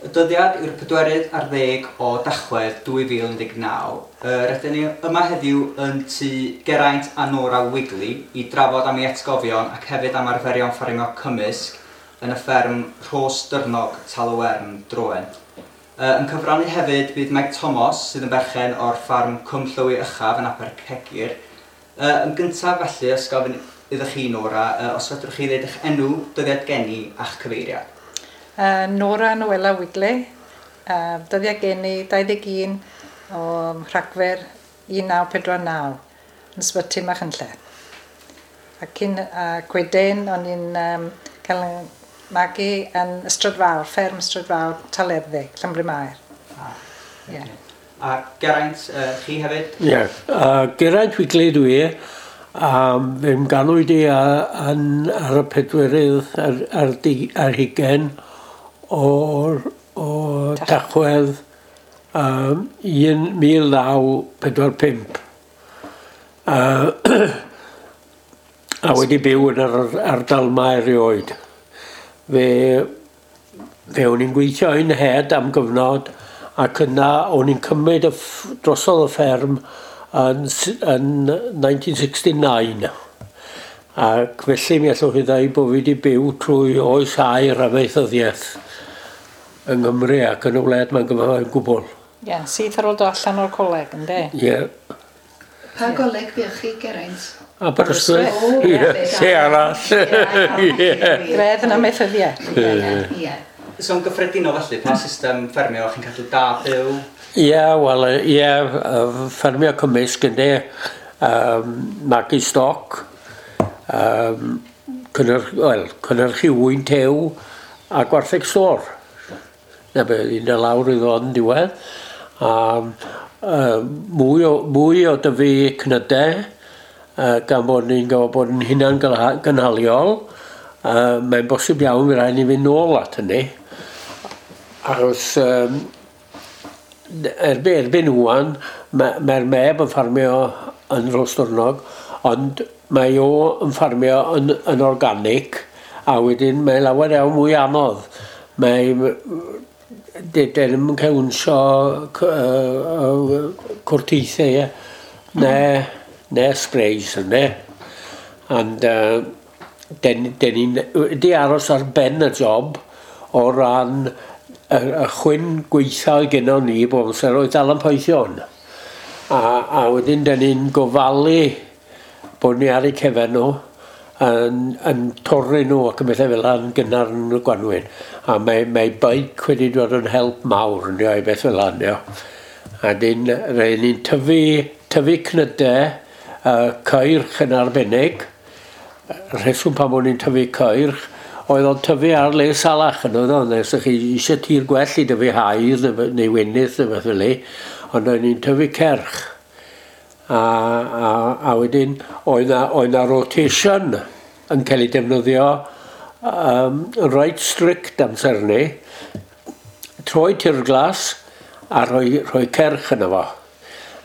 Y dyddiad yw'r pedwerydd ar ddeg o Dachwedd 2019. Rydyn ni yma heddiw yn tŷ Geraint a Nora Wigley i drafod am ei atgofion ac hefyd am arferion ffermio cymysg yn y fferm Rhos Dyrnog, Tal-y-wern, Droen. Yn cyfrannu hefyd bydd Meg Tomos, sydd yn berchen o'r ffarm Cwm Llywy Uchaf yn Abercegir. Yn gyntaf felly, os gofyn iddo chi Nora, os fedrwch chi ddeud eich enw, dyddiad geni a'ch cyfeiriad. Nora Noela Wigley, dyddiad geni 21 o Rhagfyr 1949 yn Ysbyty Machynlleth. A cyn, ac wedyn o'n i'n um, cael yn magu yn Ystrad Fawr, fferm Ystrad Fawr, Talerddig, Llanbryn-mair. Ah, yeah. A Geraint, chi hefyd? Ie, yeah. Geraint Wigley dwi, a fe'm ganwyd i yn, ar y pedwerydd ar, ar, di, ar hugen o'r, o Tachwedd 1945. A wedi byw yn yr ardal 'ma erioed. Fe fe o'n i'n gweithio yn nhed am gyfnod ac yna o'n i'n cymryd y drosodd y fferm yn yn 1969. Ac felly mi allwch chi ddeud bod fi wedi byw trwy oes aur amaethyddiaeth yng Nghymru ac yn y wlad 'ma'n gyfan gwbl. Ie, syth ar ôl dod allan o'r coleg, ynde? Ie. Pa goleg buoch chi, Geraint? Aberystwyth. O, ie, lle arall. Ie. Gradd yn amaethyddiaeth. Ie, ie. So yn gyffredinol felly, pa system ffermio chi'n cadw da byw? Ie, wel, ie, ffermio cymysg ynde, um, magu stoc, um, cynnyrch, wel, cynnyrchu ŵyn tew a gwartheg stôr. 'Na be oedd hi'n dod lawr iddo yn diwedd. A uh, mwy, o, mwy o dyfu cnydau, uh, gan bod ni'n gwybod bod yn hunan gynhaliol, uh, mae'n bosib iawn fe rhaid ni fynd nôl at hynny. Achos um, erbyn, erbyn ŵan, mae'r mae meb yn ffarmio yn Rhosdwrnog, ond mae o yn ffarmio yn, yn organic, a wedyn mae lawer iawn mwy anodd. Mae de, de ddim yn cael wnsio cwrteithiau, ie, ne, ne sprays, ynddo. And uh, den, den ni'n wedi aros ar ben y job o ran y, y chwyn gweitha oedd gennon ni bob amser oedd dal yn poethion. A, a wedyn den ni'n gofalu bod ni ar eu cefen nhw yn, yn torri nhw ac yn bethau fel yna yn gynnar yn y gwanwyn. A mae, mae bike wedi dod yn help mawr yn i beth fel yna. A dyn, rhaid ni'n tyfu, tyfu cnydau, uh, ceirch yn arbennig. Rheswm pam o'n i'n tyfu ceirch oedd o'n tyfu ar le salach yn oedd o'n nes chi eisiau tir gwell i dyfu haidd neu wenith neu beth fel ond o'n i'n tyfu cerch. A, a, a wedyn oedd na, oedd na rotation yn cael ei defnyddio um, reit strict amser ni. Troi tir glas a rhoi, rhoi cerch yna fo.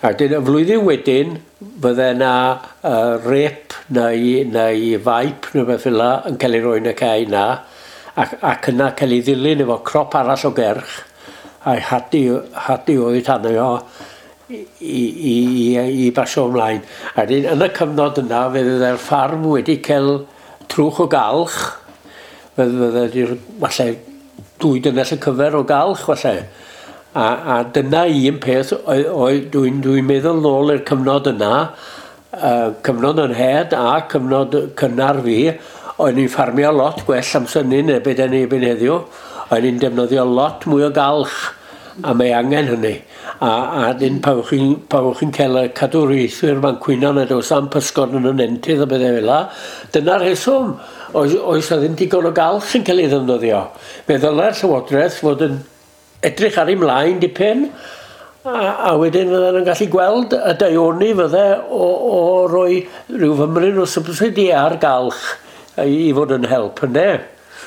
A wedyn y flwyddyn wedyn fydde na uh, rep neu, neu faip neu beth fel yn cael ei roi yn y cae na ac, ac yna cael ei ddilyn efo crop arall o gerch a'i hadu, hadu oddi tano fo i, i, i, i basio ymlaen. A wedyn, yn y cyfnod yna, fe fydde'r ffarm wedi cael trwch o galch, fe fydde wedi'r, falle, dwy dynnell y cyfer o galch, falle. A, a dyna un peth, dwi'n dwi meddwl nôl i'r cyfnod yna, uh, cyfnod yn head a cyfnod cynnar fi, o'n i'n ffarmio lot gwell amser 'ny na be' 'dan ni erbyn heddiw. O'n i'n defnyddio lot mwy o galch a mae angen hynny. A, a dyn pan fo chi'n pan fo chi'n cael y cadwraethwyr ma'n cwyno nad oes am pysgod yn y nentydd a bethau fel 'a, dyna'r rheswm. Oes, oes 'na ddim digon o galch yn cael ei ddefnyddio. Fe ddylai'r Llywodraeth fod yn edrych ar ei mlaen dipyn a, a wedyn fydden nhw'n gallu gweld y daioni fydde o, o roi rhyw fymryn o subsidy ar galch i, i fod yn help, ynde?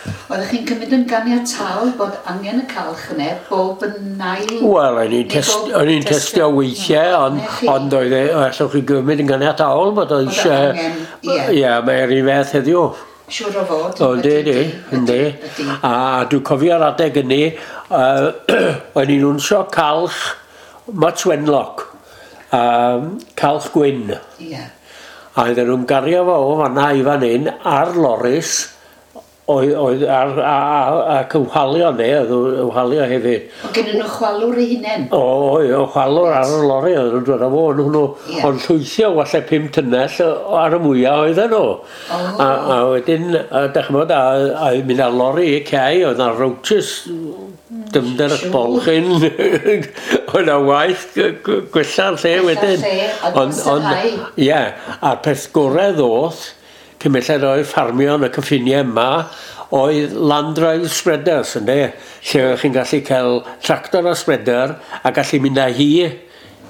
Oeddech chi'n cymryd yn ganiataol bod angen y calch yne bob yn ail... Wel, o'n i'n test, o'n i'n testio weithiau, ond, ond oedd e, allwch chi gymryd yn ganiataol bod o eisiau... Ie, yeah, mae'r un fath heddiw. Siŵr o fod. O, yndi, yndi, yndi. A dwi'n cofio'r adeg ynny, o'n i'n wnsio calch Much Wenlock, calch gwyn. Ie. A oedden nhw'n gario fo o fanna i fan hyn ar loris, oedd, oedd ar, a, a, ac yn whalio ne, oedd yn whalio hefyd. O gen nhw chwalwr eu hunain? O, oedd, o chwalwr ar y lori, oedd nhw'n dod â fo, ond hwnnw, Ie. ond llwythio walle 5 tunnell ar y mwyaf oedden nhw. O. A wedyn, a, dach ch'mod, a mynd ar lori i cei, oedd na roaches, dyfnder y Siŵr. bolchyn, oedd na waith gwella'r lle Gwella'r wedyn. lle, a gostynghau. Ie, a'r peth gorau ddoth, cyn belled oedd ffarmio yn y cyffiniau yma, oedd land drive spreaders, ynde? Lle oeddech chi'n gallu cael tractor a spreader a gallu mynd â hi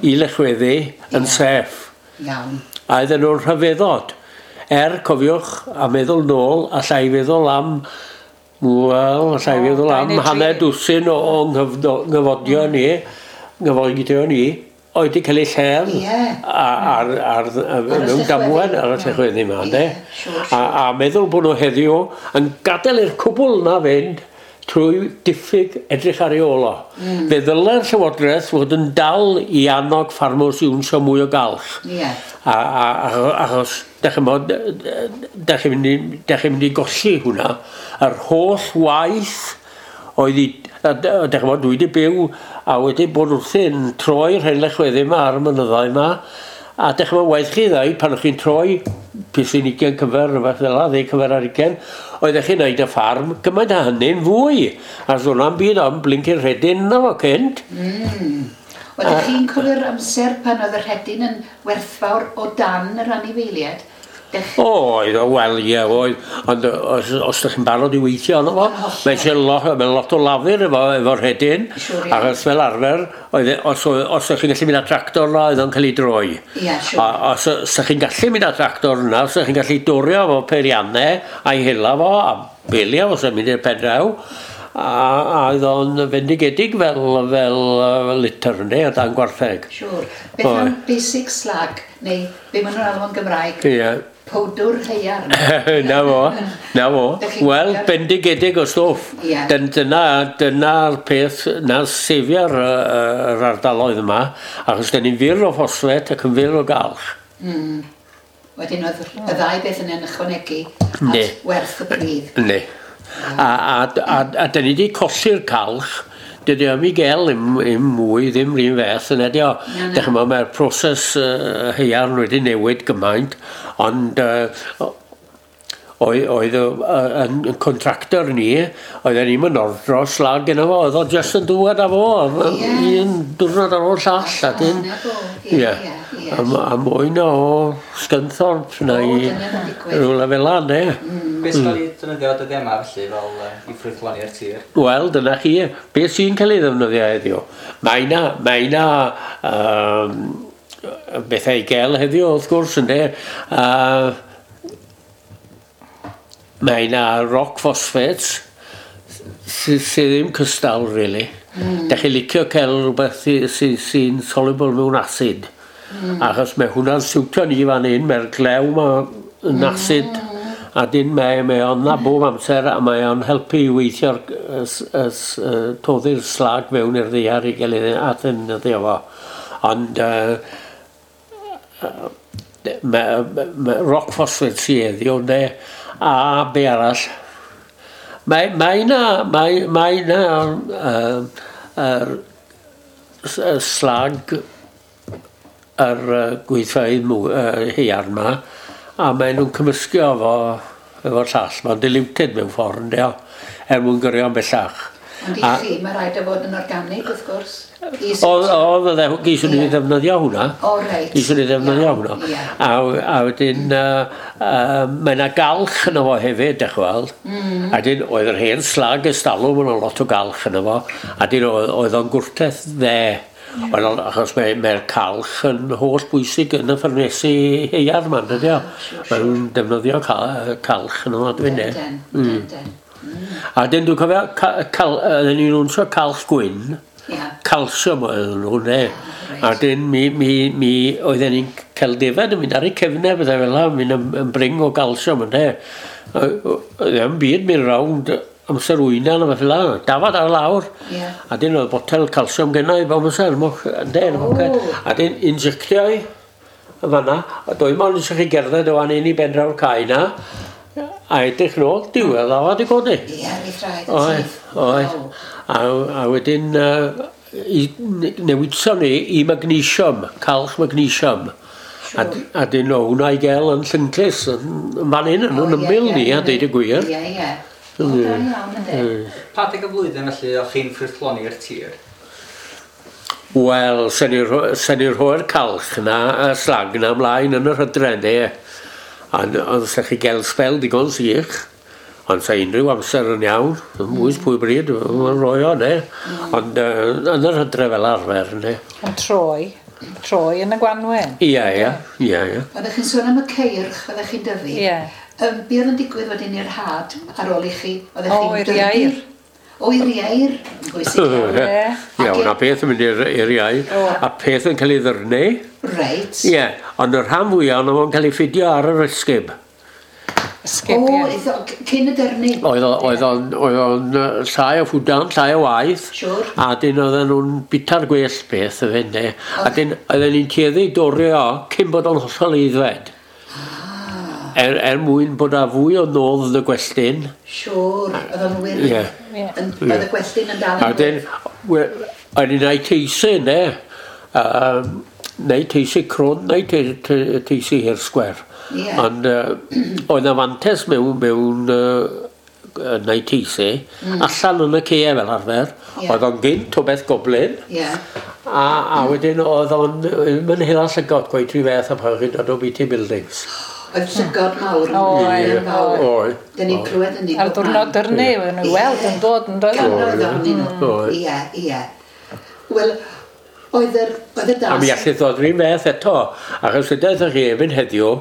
i lechweddu yn Ie. safe. Iawn. A oedden nhw'n rhyfeddod. Cofiwch, a meddwl nôl, allai feddwl am, wel, allai O, feddwl dau am neu dri. hanner dwsin o nghyfodion ni, oedd wedi cael eu lledd Ie. ar, y mewn llechweddi. damwain ar y llechweddi yma, ynde? Ie, siŵr, A meddwl bod nhw heddiw yn gadael i'r cwbl na fynd trwy diffyg edrych ar ei ôl o. Fe ddylai'r Llywodraeth fod yn dal i annog ffarmwrs i wnsio mwy o galch. Ie. A achos, dach chi'n bod, dach chi'n mynd i golli hwnna. Yr holl waith oedd i, dach chi'n bod, dwi wedi byw a wedi bod wrthyn troi'r hen lechweddi yma ar y mynyddau yma. A dach chi'n bod, waith chi ddau, pan o'ch chi'n troi pisyn 20 cyfer, rhywbeth fel 'na, 10 cyfer ar 20, oeddech chi'n neud y ffarm gymaint â hynny'n fwy. A so hwnna'n byd ond blincyn rhedyn yna fo cynt. Oeddech chi'n cofio'r amser pan oedd y rhedyn yn werthfawr o dan yr anifeiliaid? Oedd, o, wel, ie, oedd. Ond os ydych chi'n barod i weithio arno fo, Yn hollol. mae eisiau lot, mae lot o lafur efo rhedyn. Siŵr, ie. Achos fel arfer, oedd, os ydych chi'n gallu mynd â tractor yna, oedd o'n cael ei droi. Ie, siŵr. A os ydych chi'n gallu mynd â tractor yna, os ydych chi'n gallu dorio efo peiriannau a'i hela fo, a belio fo, sy'n mynd i'r pen draw, a oedd o'n fendigedig fel litter, ynddi, o dan gwartheg. Siŵr. Beth Oedd. am basic slag, neu be maen nhw'n alw yn Gymraeg? Ie. Powdwr haearn. Na fo, na fo. Dach chi'n Wel, cofio'r- bendigedig o stwff. Ie. Dyna'r peth, na sefio'r yr ardaloedd yma, achos dyn ni'n fyr o ffosfet ac yn fyr o galch. Wedyn oedd y ddau beth yna'n ychwanegu Yndi. at werth y pridd. Yndi. A dyn ni wedi colli'r calch, dydy o'm i gael im mwy, ddim rhywun fath yn ydi o. Na, na. Dych chi'n meddwl, mae'r proses haearn wedi newid gymaint, ond oedd yn contractor ni, oedden ni'n mynd ordro slag gyda fo, oedd o jyst yn dŵad â fo, Ie. un diwrnod ar ôl llall, a dyn. Na fo, ie, Ie. ie, ie. A mwy na o Scunthorpe na O, i dyna ma'n digwydd. rhywle fel 'na, ne? Beth sy'n cael ei defnyddio dyddiau yma felly fel i ffrwythloni'r tir? Wel, dyna chi. Beth sy'n cael ei ddefnyddio heddiw? Mae na bethau i gael heddiw, wrth gwrs, ynde. Mae na rock phosphates sydd sy ddim cystal, really. Dach chi'n licio cael rhywbeth sy'n soluble mewn acid. Achos mae hwnna'n siwtio ni fan hyn, mae'r glew ma yn acid. A dyn mae o'n na bob amser a mae o'n helpu i weithio'r toddi'r slag fewn i'r ddaear i gael ei addefnyddio fo. Ond mae rock phosphate sydd heddiw, ynde, a be arall. Mae na yr slag yr gweithfeydd haearn ma, a maen nhw'n cymysgu efo'r llall. Mae'n diluted mewn ffordd, ynde o, er mwyn gyrru o'n bellach. Ond i chi, mae rhaid o fod yn organig, wrth gwrs. I Oedd, geiswn ni ddefnyddio hwnna. O, reit. Geiswn ni ddefnyddio Iawn, hwnna. ie. A wedyn, mae yna galch yno fo hefyd, dech weld. A dyn, oedd yr hen slag ystalwm yn lot o galch yno fo. A dyn, oedd o'n gwrteth dde. Oedd achos mae'r calch yn holl bwysig yn y ffyrnesi haearn yma, dydy o. Mae nhw'n defnyddio calch yno fo, dwi'n Den, de. den, den. A dyn dwi'n cofio, oedden ni'n wnsio calch gwyn, calsiwm oedden nhw, ne. Reit. A dyn mi oedden ni'n cael defaid yn mynd ar eu cefnau, bethau fel 'na, mynd yn bring o galsiwm, ynde. Ddim byd mynd rownd amser wyna na fath fel 'na. Dafad ar lawr. Ie. A dyn oedd botel calsiwm genna i bob amser, moch, ynde, yn y poced. A dyn injectio i yn fan'na. A dwy mond eisiau chi gerdded o fan hyn i ben draw'r cae na. A edrych nôl, diwedd ddafad i godi. Ie, mi thraed yn Oedd, syth. oedd. Waw. A wedyn newidson ni i magnesium, calch magnesium. A dyn o hwnna i gael yn Llynclys, yn fan hyn, yn O, yn ie, ymyl ie, ni, a ie. deud y gwir. Ie, ie. O, da iawn, ynddi. Pa adeg y flwyddyn felly o'ch chi'n ffrwythloni'r tir? Wel, sen ni'n rhoi'r calch na, y slag na ymlaen yn yr hydre, ne. Ond sa chi gael sbel digon sych, ond sa unrhyw amser yn iawn, yn bwys pwy bryd, mae'n rhoi o, ne. Ond yn yr hydre fel arfer, ne. Yn troi yn y gwanwyn. Ie, ie, ie, ie. Oeddech chi'n sôn am y ceirch oeddech chi'n dyfu. Ie. Be oedd yn digwydd wedyn i'r had ar ôl i chi? Oeddech O, chi'n i'r dyrnu? ieir. O, i'r ieir. Yn bwysig iawn. Ie. Ie, hwnna peth yn mynd i'r iau, a peth yn cael ei ddyrnu. Reit. Ie, ond y rhan fwyaf ono fo'n cael ei ffidio ar yr ysgub. Ysgub, O, ie. cyn y dyrnu. Oedd o'n llai o ffwdan, llai o waith. Siŵr. A dyn oedden nhw'n bita'r gwell beth y fynd, ne. A dyn oedden ni'n tueddu i dorri o cyn bod o'n hollol aeddfed. Er mwyn bod â fwy o nodd yn y gwelltyn. Siŵr, oedd o'n wir. Ie. Ie. Oedd y gwelltyn yn dal A yn dyn, o'n i'n neud teisi, ne. Neu teisi crwn, neu teisi hir sgwer. Ie. Ond oedd 'na fantes mewn neud teisi, allan yn y caeau fel arfer. Ie. Oedd o'n gynt o beth goblin. Ie. A wedyn oedd o'n mynd hela llygod gweith rhyw fath a pan chi'n dod o BT Buildings. Oedd llygod mawr yn Oedd, yn fawr. Oedd. Dyn ni'n clywed yn ni Ar ddiwrnod dyrnu, oedden nhw weld yn dod yn dod. Cannoedd ohonyn nhw. Oedd. Ie, ie. Wel, oedd yr A das... mi allith ddod rhywun fath eto, achos ydych chi efo'n heddiw,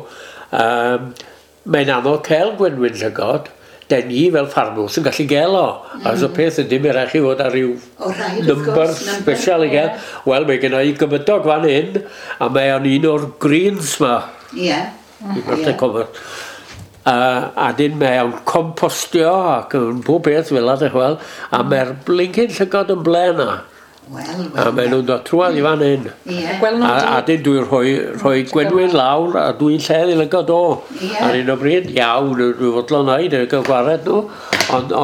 mae'n anodd cael gwenwyn llygod, den ni fel ffarmwrs yn gallu gael o. Achos y peth ydy, mae rhaid chi fod ar ryw O, rhaid, wrth number gwrs, number, special i gael. Wel, mae gen i gymydog fan hyn, a mae o'n un o'r greens ma. Ie. I Ie. A dyn mae o'n compostio ac yn pob beth fel 'na, dych wel, a mae'r blincyn llygod yn ble yna. Wel, A wel. maen nhw'n dod trwad i fan hyn. Ie. Gwel nhw A dyn dwi'n rhoi gwenwyn lawr a dwi'n lledd i lygod o. Ie. Ar un o bryd, iawn, dwi'n fodlon neud, dwi'n cael gwared nhw.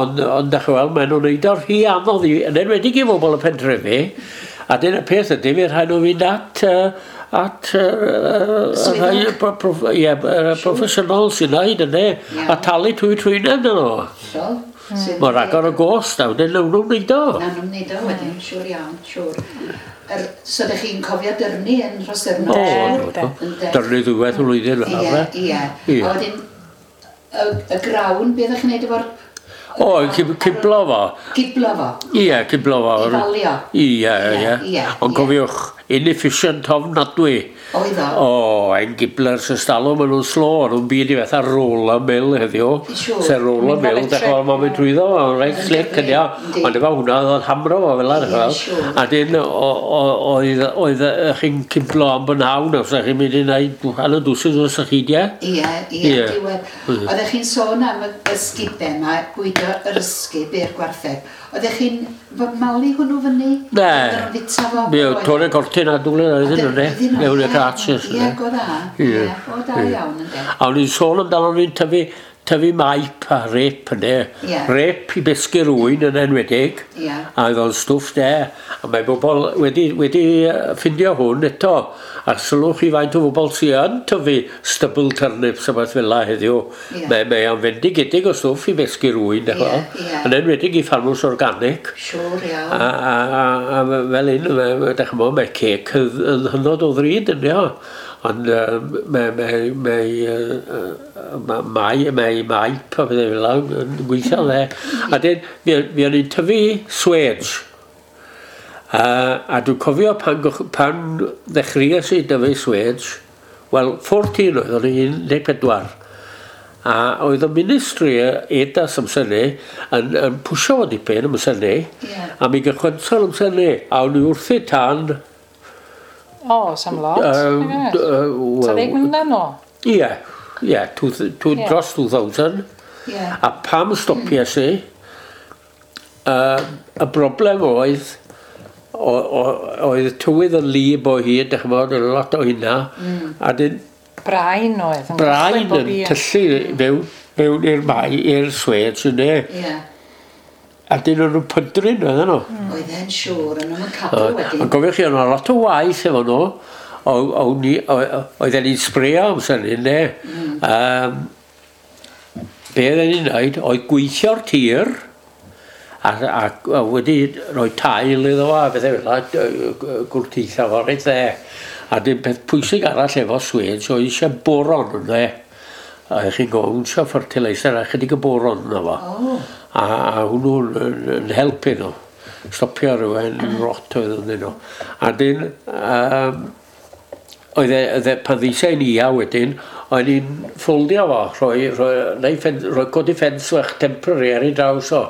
Ond dych chi weld, maen nhw'n neud o'r rhy anodd i, yn enwedig i bobl y pentrefi. A dyna peth ydy, mi rhaid nhw fynd at rhai proffesiynol sy'n neud yna, Ie. a talu trwy trwyneb dyn nhw. Hollol. Sydd- Mae rhagor o gost, a wedyn nhw'n wneud o. Na nhw'n neud o wedyn, siŵr iawn, siŵr. So ydych chi'n cofio dyrnu yn Rhosyrno? O, do, do. Dyrnu ddwywaith y flwyddyn fel Ie, arfer. ie. Ie. A wedyn, y grawn, be ydych chi'n neud efo'r... O, ciblo fo. Giblo fo. Ie, ciblo fo. I falio. Ie, ie. Ie, Ond ie. cofiwch, inefficient ofnadwy. Oedd o. O, ein giblers ystalw, maen nhw'n slo, nhw'n byd i fatha roller mill heddiw. Siŵr. Se roller Mynd mill, fel dech chi'n mae'n mynd trwyddo, mae'n reit slick yn ia. Yndi. Ond efo hwnna, oedd o'n hamro fo fel Ie, yna, siŵr. A dyn, oedd chi'n ciblo am bynhawn, os ydych chi'n mynd i wneud hanner dwsin o sychidiau. Ie, ie, Ie. diwedd. Oeddech chi'n sôn am y ysgubau yma, bwydo yr ysgub i'r gwartheg. Oeddech chi'n malu hwnnw fyny? Ne. Oedden nhw'n fita fo? Mi oedd torri cortyn a dwlen oedd yn yna, mewn y cratches. Ie, go dda. Ie. Ie, o da iawn ynddo. A o'n i'n sôn amdano ni'n tyfu maip a rep yna. Ie. Rep i besgu'r ŵyn yn enwedig. Ie. A oedd o'n stwff de. A mae bobl wedi ffindio hwn eto. A sylwch chi faint o bobl sydd yn tyfu stubble turnips a beth fel 'na heddiw. Ie. Mae o'n fendigedig o stwff i besgu'r ŵyn. dych Ie, ch'mo'. ie. Yn enwedig i ffarmwrs organic. Siŵr iawn. A fel un, dych chi'n gwbod, mae cêc yn hynod o ddrud yn dio. Ond mae maip a pethau fel 'na yn gweithio dde. A dyn, mi o'n i'n tyfu swêj. A dwi'n cofio pan ddechreuais i dyfu swêj, wel, 14 oedd o'n i'n 14. A oedd y ministry EDAS amser 'ny yn pwsio fo dipyn amser 'ny. Ie. A mi gychwynson amser 'ny, a o'n i wrthi tan... O, sam lot. Sa ddeg mlynedd nôl? Ie, ie, dros 2000. A pam stopies i, y broblem oedd, oedd tywydd yn lib o hyd, dych ch'mod, oedd lot o hynna, a dyn Brain oedd. Yn brain cychwyn bob yn un. tyllu fewn i'r mai, i'r swêj, yndê. A dyn o'n nhw'n pydru, oedden nhw. Oedd e'n siŵr, yn nhw'n cadw wedyn. Ond gofiwch chi, oedd 'na lot o waith efo nhw. Oedden ni'n sbrio amser hynny, ne? Be oedden ni'n neud oedd gweithio'r tir a wedi rhoi tail iddo fo a bethau fel 'na, gwrteithio fo reit dde. A dim peth pwysig arall efo swêj oedd eisiau boron ynddo. A chi'n gwybod, eisiau fertilizer a chydig o boron yno fo. A hwnnw'n yn helpu nhw. Stopio rhywun rot oedd ynddyn nhw. A dyn, oedd e, pan ddisau ni ia wedyn, oedd ni'n ffoldio fo, rhoi, rhoi codi ffens fach temporary ar ei draws o.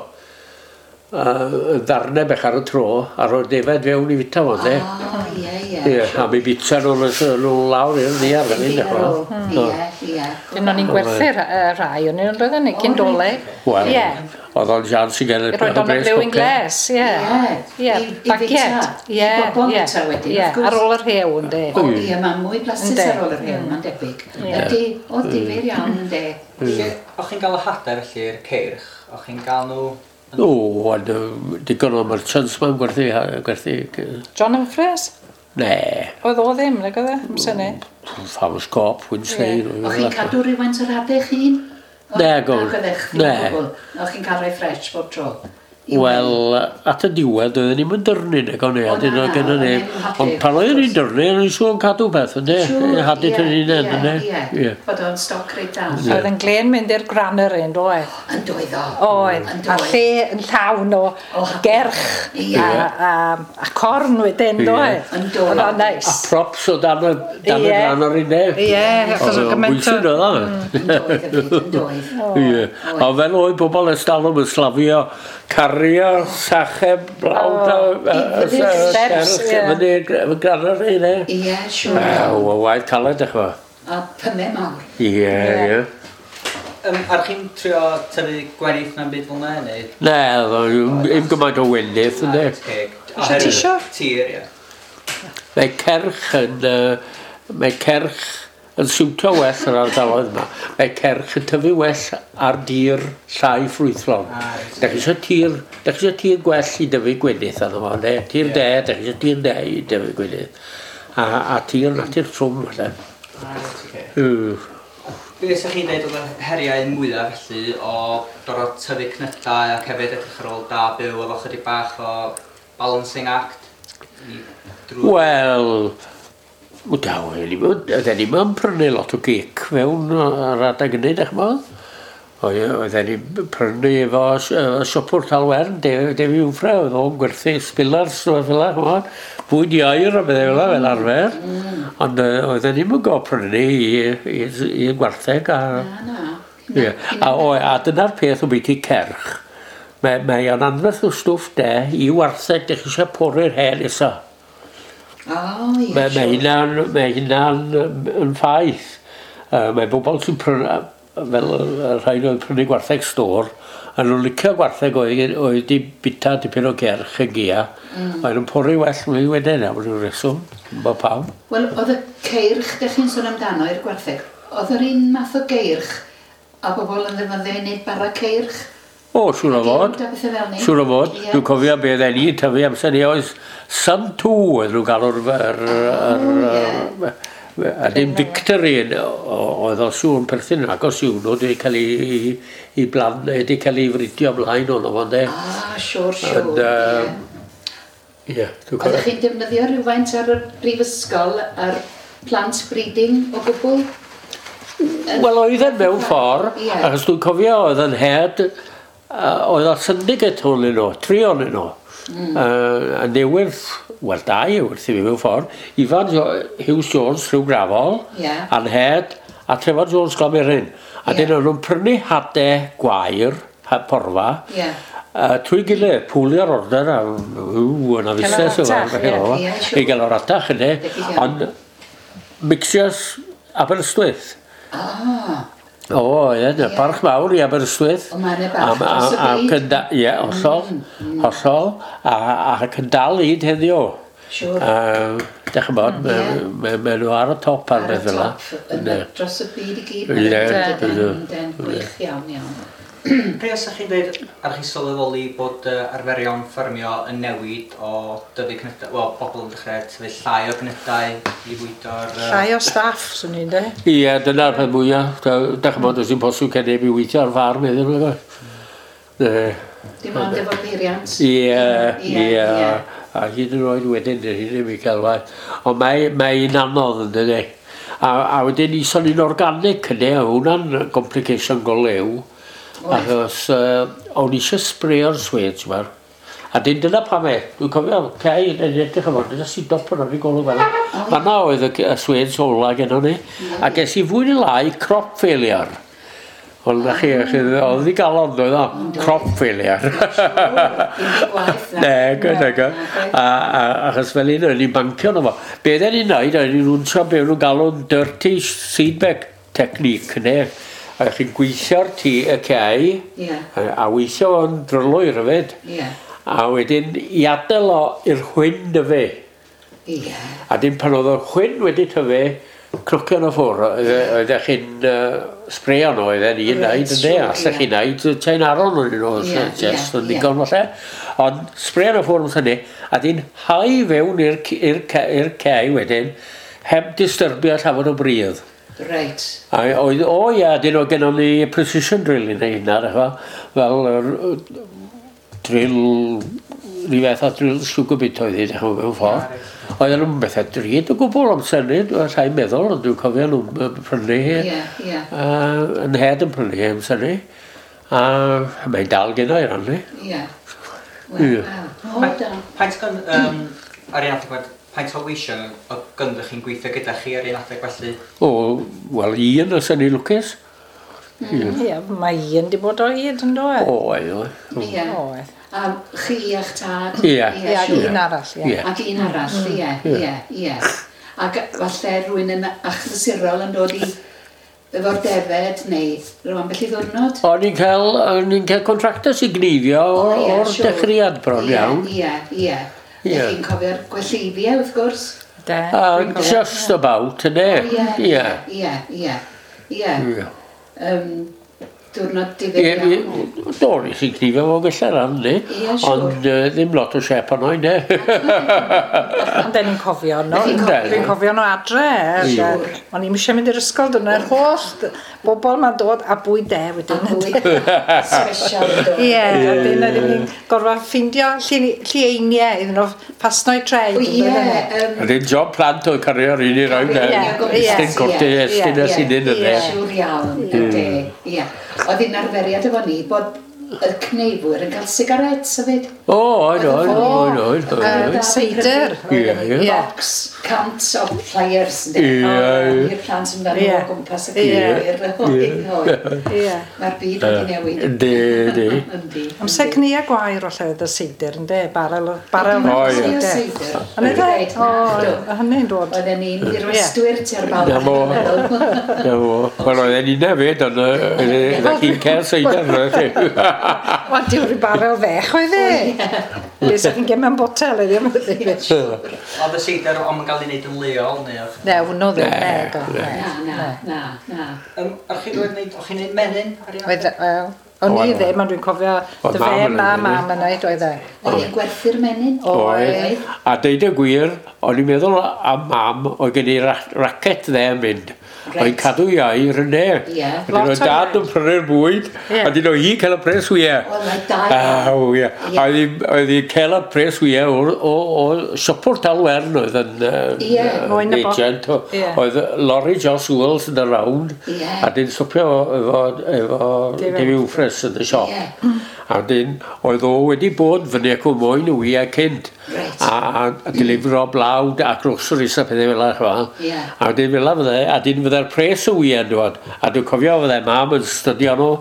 Ddarnau bech ar y tro, a rhoi defaid fewn i fita fo, de. O, ie, ie. Ie, a mi bita nhw'n nhw lawr i'r ddiar fel hyn, Ie, dechrau. ie. Dyn o'n i'n gwerthu rhai, o'n i'n roedden ni cyn dolyg. Wel, Ie. oedd o'n sians i gael I roed o'n y blue glass, ie. Ie, Ie, i bagiet. fita. Ie, I bobl ie. fita wedyn, Ie, wrth gwrs. ar ôl yr hew, ynddi. O, ie, mae'n mwy blasus Ynde. ar ôl yr hewl, mae'n debyg. Ydy, o, difyr iawn, ynde. Lle, o'ch chi'n cael y hadau felly'r ceirch? O'ch chi'n cael nhw... O, ond digon o merchants ma'n gwerthu. John Humphreys? Ne, Oedd o ddim, nag oedd e? Amser ni. Farmers Co-op, Wednesday. O'ch chi'n cadw rhywfaint o'r hadau eich hun? Ne, gofyn. Ac oeddech chi'n Ne. gwbl. O'ch chi'n cael rhai ffresh bob tro? I Wel, at y diwedd, oedden ni'n mynd dyrnu, nag o'n i, O, a dyn na, o'n gynnu na, ni. o'n i'n hadu, Ond pan oedden ni'n dyrnu, o'n i'n siŵr yn cadw peth, yndê? Siŵr, Hadu ie, tyn ni'n ie, yndê? Ie, Ie. bod o'n stoc reit da. Oedd yn glen mynd i'r granary yn doedd. Yn doedd o. Oedd, Yn a doedd. lle yn llawn o O, gerch Ie. a corn wedyn, doedd. Yn doedd. Oedd o'n A neis. props o dan y, dan y Ie. granary, yndê? Ie, achos oedd gymaint o- Bwysig oedd o. Yn doedd hefyd, yn doedd. Ie. A fel oedd bobl ers talwm yn slavio, cario sachau blawd a I fyny'r steps, ie. Fyny'r granary, yndê? Ie, siŵr. Ew, o waith caled, ych chi. A pymau mawr. Ie, ie. Ar chi'n trio tyfu gwenith na'n byd fel 'na, neu? Ne, ddim gymaint o wenith, yndê? Ceg. Isio tisio? Tir, ie. Mae cerch yn, mae cerch yn siwtio well yr ardaloedd yma. Mae cerch yn tyfu well ar dir llai ffrwythlon. Ah, reit. Da chi eisiau tir, da chi eisiau tir gwell i dyfu gwenith arno fo, ne? Tir de, da chi eisiau tir de i dyfu gwenith. A tir natur trwm, falle. Ah, reit, ocê. Mm. Be ydych chi'n dweud oedd y heriau mwyaf felly o gorfod tyfu cnydau ac hefyd edrych ar ôl da byw efo chydig bach o balancing act? I drwy... Wel, daw, oedden ni'n yn prynu lot o gic fewn ar adeg hynny, dych chi'n Oedden ni'n prynu efo siopwr Talwern, Defi Wmffre, oedd o'n gwerthu spillars o fel 'na, ch'mod, bwyd ieir a bethau fel 'na, fel arfer. Ond oedden ni'n mynd prynu i gwartheg a... Na, na. Ie. A dyna'r peth o byti cerch. Mae o'n anferth o stwff de i wartheg, dych chi eisiau pori'r hen nesa. O, ie, Mae hynna'n mae hynna'n yn ffaith. Mae bobl sy'n prynu, fel y rhai oedd prynu gwartheg stôr, a nhw'n licio gwartheg oedd di bita dipyn o gerch yn gia. Oedd nhw'n pori well mwy wedyn, am ryw reswm, bod pam. Wel, oedd y ceirch, dych chi'n sôn amdano i'r gwartheg, oedd yr un math o geirch a bobl yn ddefnyddio i wneud bara ceirch? O, siŵr o fod. A pethau fel 'ny. Siŵr o fod. Ie. Dwi'n cofio be oedden ni'n tyfu amser ni oedd Sun 2 oedd nhw'n galw'r... O, yr, a dim Victory oedd o siŵr yn perthyn yn agos i'w nhw wedi cael ei, i blan, wedi cael ei fridio ymlaen o'n fo, de. Ah, siŵr, siŵr. Ond, ie. Ie, dwi'n Oeddech cofio. chi'n defnyddio rhywfaint ar y brifysgol ar plant breeding o gwbl? Wel, oedd e mewn ffordd, achos dwi'n cofio oedd yn head, oedd o syndicate hwn nhw, tri o'n nhw. A newydd, wel dau wrth i fi mewn ffordd, Ifan Hughes Jones, Rhyw Grafol, a'n head, a Trevor Jones Glamerin. A dyn nhw'n prynu hadau gwair, porfa, trwy gilydd, pwlio'r order a ww, yna fusnes Cael yr yma. atach, ie. Ie, siŵr. I gael o'r atach yna. Debyg iawn. Ond mixios Aberystwyth. Ah, O, ie, yeah, parch mawr i Aberystwyth. O, mae 'na barch dros y byd. Ie, hollol, hollol, ac yn dal hyd heddiw. Siŵr. Dych chi'n bod, mae nhw ar y top ar beth fel 'na. Ar y top, dros y byd i gyd. Ie. Gwych iawn, iawn. Pryd os ydych chi'n dweud, ar chi sylweddoli bod arferion ffermio yn newid o dyfu cnydau, wel, bobl yn dechrau tyfu llai o gnydau i fwydo'r... Llai o staff, swn i'n dweud. Ie, dyna'r peth mwyaf. Dych chi'n bod, does dim posib cael neb i weithio ar ffarm heddiw. Dim ond efo peiriant. Ie, ie. A hyd yn oed wedyn, dyn ni ddim i cael waith. Ond mae'n anodd yn dydi. A wedyn i sôn i'n organic yna, hwnna'n complication go lew. Achos o'n i eisiau spreio'r swêj ma. A dyn dyna pam e, dwi'n cofio, cei, yn edrych yma, dyna sy'n dop yn o'r golwg fel. Fanna oedd y swêj ola gennon ni. A ges i fwy neu lai crop failure. Ond na chi, oedd i galon oedd o, crop failure. Ne, gyda. Achos fel un, o'n i'n bancio nhw fo. Be oedden ni'n neud, oedden ni'n rwnsio be o'n nhw'n galw'n dirty seedbed technique, ne? A chi'n gweithio'r tŷ y cei, a weithio o'n drylwyr hefyd. A wedyn i adael o i'r chwyn dyfu. A dim pan oedd y chwyn wedi tyfu, cnocio nhw ffwrdd, oeddech chi'n spreio nhw, oedden ni'n neud yn de, allech chi'n neud chain aron o'n nhw, just yn ddigon falle. Ond spreio nhw ffwrdd hynny, a dyn hau fewn i'r cei wedyn, heb disturbio llawer o bridd. Reit. A oedd, o ia, dyn oedd gennon ni precision drill i wneud hynna, fel drill, rhyw fath o drill sugar beet oedd hi, mewn ffordd. Oedden nhw'n bethau drud o gwbl amser ni, dwi'n rhaid meddwl, ond dwi'n cofio nhw'n prynu hi. Ie, ie. Yn head yn prynu hi amser ni. A mae'n dal gyda i rannu. Ie. Wel, o, da. Paent gan, ar un adeg, paent o weision o gynddo chi'n gweithio gyda chi ar un adeg felly? O, wel, un os yn ei lwcus. Ie, mae un di bod o hyd yn dod. O, oedd. Ie. Oedd. A chi a'ch tad? Ie. Ie, ac un arall, ie. Ac un arall, ie, ie, ie. Ac falle rhywun yn achlysurol yn dod i efo'r defed neu rhyw ambell i ddwrnod? O'n i'n cael contractors i gneifio o'r dechreuad bron iawn. Ie, ie, ie. Chi'n cofio'r gwelleifiau, wrth gwrs? De. Just about, yne. Ie, ie, ie, ie. Diwrnod difyr iawn. Do, nes i'n cnifio fo gylla ran, ni. Ond ddim lot o siep arno i, ne. Ond den ni'n cofio nhw. Dwi'n cofio nhw adre. O'n i'm eisiau mynd i'r ysgol, dyna'r holl bobl ma'n dod a bwyd de wedyn. A bwyd special dod. Ie, a dyn ni'n gorfod ffindio llieiniau iddyn nhw ffasno'i treid. Ie. A dyn job plant oedd cario'r un i roed. Estyn cortyn, estyn a synyn yna. Siŵr iawn, ie. Oedd hi'n arferiad efo ni bod y cneifwyr yn cael sigarets hefyd. O, oedd, oedd, oedd, oedd. Seidr. Ie, ie. Box, cant o pliers, ynddi. Ie. I'r plant yn dod o gwmpas y cneifwyr. Ie. Mae'r byd wedi newid. Yndi, yndi. Amser cnea gwair o lle oedd y seidr, ynddi? Barel o seidr. Ond iddo? O, hynny'n dod. Oedden ni'n dirwestwyr tua'r bawb. Na fo. Na fo. Wel, oedden ni'n hefyd, ond oeddech chi'n cael seidr. Wel, diw'r barel fech oedd e. Be sa chi'n gael mewn botel oedd e. Oedd y seidr ond yn cael ei wneud yn leol neu oedd? Ne, hwnnw ddim. Na, na, na. O'ch chi'n gwneud menyn ar un adeg? O'n i ddim, ond dwi'n cofio dy fe ma mam yn neud oedd e. Oedd hi'n gwerthu'r menyn? Oedd. A deud y gwir, o'n i'n meddwl am mam, oedd gen i racet dde yn mynd. Oedd cadw iau yn ne. Wedyn oedd dad yn prynu'r bwyd, a dyn oedd hi'n cael y pres wyau. Wel, mae dau. Aw, ie. Oedd hi'n cael y pres wyau o siopwr Talwern oedd yn agent. Oedd lorry Joss Wells yn y round, a dyn stopio efo David Wfres yn y siop. A dyn, oedd o wedi bod fyny ac o moyn y wyau cynt. A delifro blawd a groceries a pethau fel yna. A dyn fel yna fydde, a dyn fydde'r pres y wyau'n dod. A dwi'n cofio fydde mam yn stydio nhw.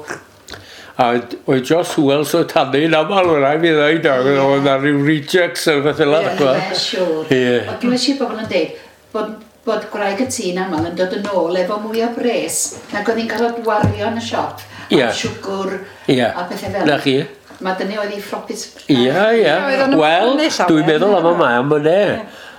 A oedd Joss Wells o tanu yn aml, oedd rhaid fi ddweud, oedd na rhyw rejects a beth fel yna. Ie, siŵr. Ond glywes i bobl yn dweud bod bod gwraig y tŷ'n aml yn dod yn ôl efo mwy o bres nag oedd hi'n cael o wario yn y siop. Ie. A siwgr Ie. a pethau fel. Na chi. Mae dyna oedd hi ffropus. Ie, ie. Oedd o'n Wel, ymwneud llawer. dwi'n meddwl am y mam yna.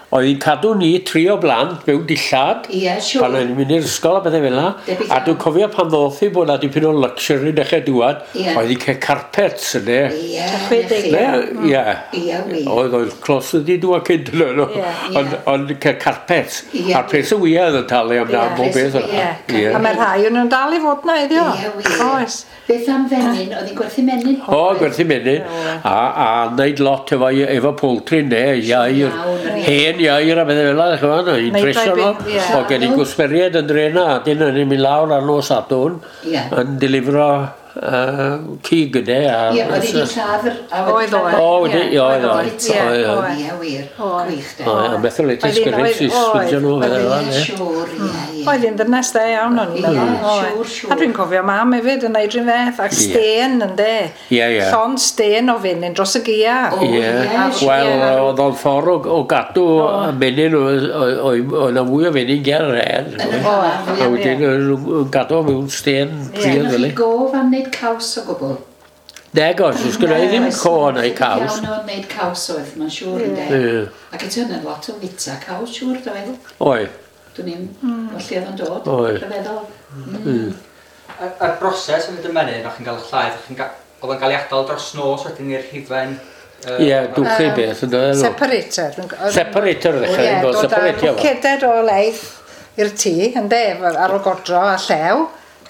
Oedd hi'n cadw ni tri o blant mewn dillad. Ie, siŵr. Pan o'n i'n mynd i'r ysgol a bethau fel 'na. Debyg A iawn. dwi'n cofio pan ddoth hi bod 'na dipyn o luxury dechrau dŵad. Ie. Oedd hi'n cael carpets yna. Ie, na 60. chi. Ne, ie. Ie, wir. Oedd clos wedi dŵad cynt yna. No. Ie. Ond ond cael carpets. Ie. A'r pres y wya oedd yn talu am Ie, bob pres beth y yna. wya. Ie. A mae rhai o'n nhw'n dal i fod na iddi o. Ie, wir. Oes. Beth am fenyn? Oedd hi'n gwerthu menyn? O, gwerthu menyn. A wneud lot efo poultry, ne, ieir, Iawn, yr ie. hen ieir a bethau fel 'na, ch'mod, i'n Neud tresio rhai nhw. ie. O, gen i gwsmeriaid yn dre 'na, a dyn o'n i'n mynd lawr ar nos Sadwrn, Ie. yn delifro cig yne. Ie, oedd hi wedi lladd yr... a wedi Oedd, lladd oedd. O, wedi, Ie, ie, oedd, oedd, oedd. ie, Oedd, oedd. oedd. Ie, wir. Oedd. Gwych, de. Oedd, a methylated Oedd hi'n- spirits i oedd, swyddio nhw, oedd. bethau fel 'na, Ie, ne. siŵr, ie, ie. Oedd hi'n ddynes dde iawn o'n i'n Ie, meddwl. Oedd. siŵr, siŵr. A dwi'n cofio mam hefyd yn neud rhywun fath, ac Ie. stên yn de. Ie, ie. Llond stên o fenyn dros y gia. O, Ie, ie, siŵr. wel, oedd o'n ffordd o gadw y menyn, oedd 'na fwy o fenyn ger yr hen. Yn yr haf, A ie. wedyn oedd nhw'n gadw mewn stên pridd Gennoch fel chi gof am wneud caws o gwbl? Nag oes, oes gynna i ddim co neu caws. Iawn o wneud caws oedd, mae'n siŵr yn de. Ie. Ac eto yna lot o fita caws, siŵr, doedd? Oedd. Dwi'n i'n o lle oedd o'n dod, Oedd. rhyfeddol. A'r broses yn y menyn, o'ch chi'n cael y llaeth, o'ch chi'n oedd o'n cael ei adael dros nos wedyn i'r hufen... Ie, dwchi beth yn dod. Separator. Separator ddechrau, Ie, yn dod â separatio fo. bwceded o leith i'r tŷ, ynde, ar ôl godro a llew,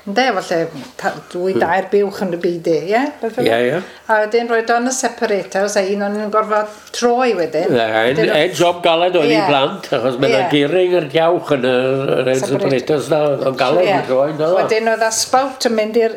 ynde, falle dwy dair buwch yn y byd, ie? Beth fel Ie, 'na. ie. A wedyn roed o'n y separator, so un o'n nhw'n gorfod troi wedyn. Ein ein job galed oedd i Ie. blant, achos mae yna Ie. gearing yr diawch yn yr ein Separators. separators na, oedd o'n galed Ie. i droi, yn doedd o? Wedyn oedd a spout yn mynd i'r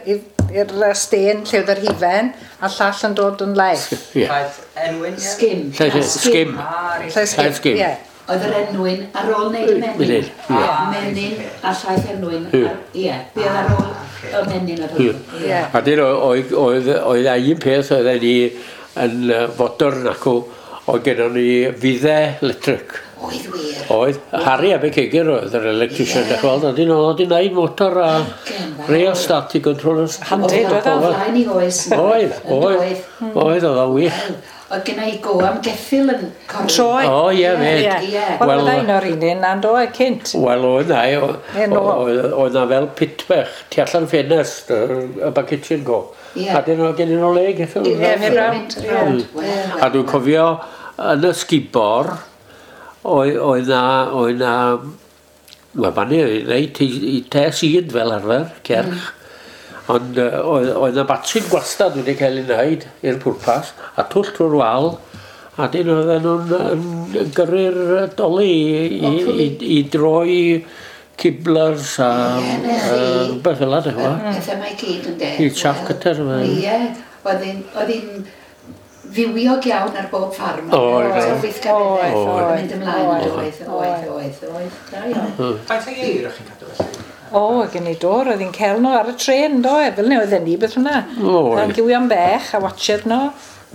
stên lle oedd yr hufen, a llall yn dod yn laeth. Ie. Llaeth enwyn, ie? Sgim. Llaeth- A sgim. Ah, reit. Llaeth Llaeth sgim. Ie. Oedd yr enwyn ar ôl wneud y menyn. Menyn, ie. Menyn a llaeth enwyn. Ie. Ie, be oedd ar ôl y menyn oedd hwnnw. Ie. A dyn oedd, oedd, oedd a un peth oedd ni yn fodern acw, oedd gennon ni fuddau electric. Oedd wir. Oedd, Harry Abercegyr oedd yr electrician, Ie. yeah. Gweld, a dyn oedd wedi wneud motor a Gen fawr. rheostat i control. Handi, Oedd doedd o? o flaen i oes. Oedd, Yn oedd, doedd. oedd, oedd o'n wych. Wel, Oedd genna i go am geffyl yn corri. Troi. O, ie, fed. Ie. Ie. Wel, Wel- oedd un o'r un un na'n doedd cynt. Wel, oedd na, Ie, no. oedd na fel pitbech, tu allan ffenest, y back kitchen go. Ie. A dyn oedd gen nhw le geffyl. Ie, Ie, mynd rownd, mynd ie. rownd. Wel, wel. A dwi'n cofio yn y sgubor, oedd na, wel, fan i, reit i te sydd fel arfer, cerch. Ond oedd na batrin gwastad wedi cael ei wneud i'r pwrpas, a twll trwy'r wal, a dyn oedden nhw'n yn gyrru'r doli i droi kiblers a Ie, 'na chi. rhywbeth fel 'na, ti'n gwbod? Pethau mae gyd yn de. I chaff cutter, mae. Ie, oedd hi'n fywiog iawn ar bob ffarm. Oedd, Oedd. oedd. Weithgareddau. Oedd, Oedd. Mynd ymlaen, oedd. oedd, oedd, oedd, oedd. Da iawn. Faint o ieir o'ch chi'n cadw felly? O, gen i dor, oedd hi'n cael nhw ar y tren, do, e, fel ni oedden ni beth hwnna. Oedd. Oedd gywion bech a watched nhw.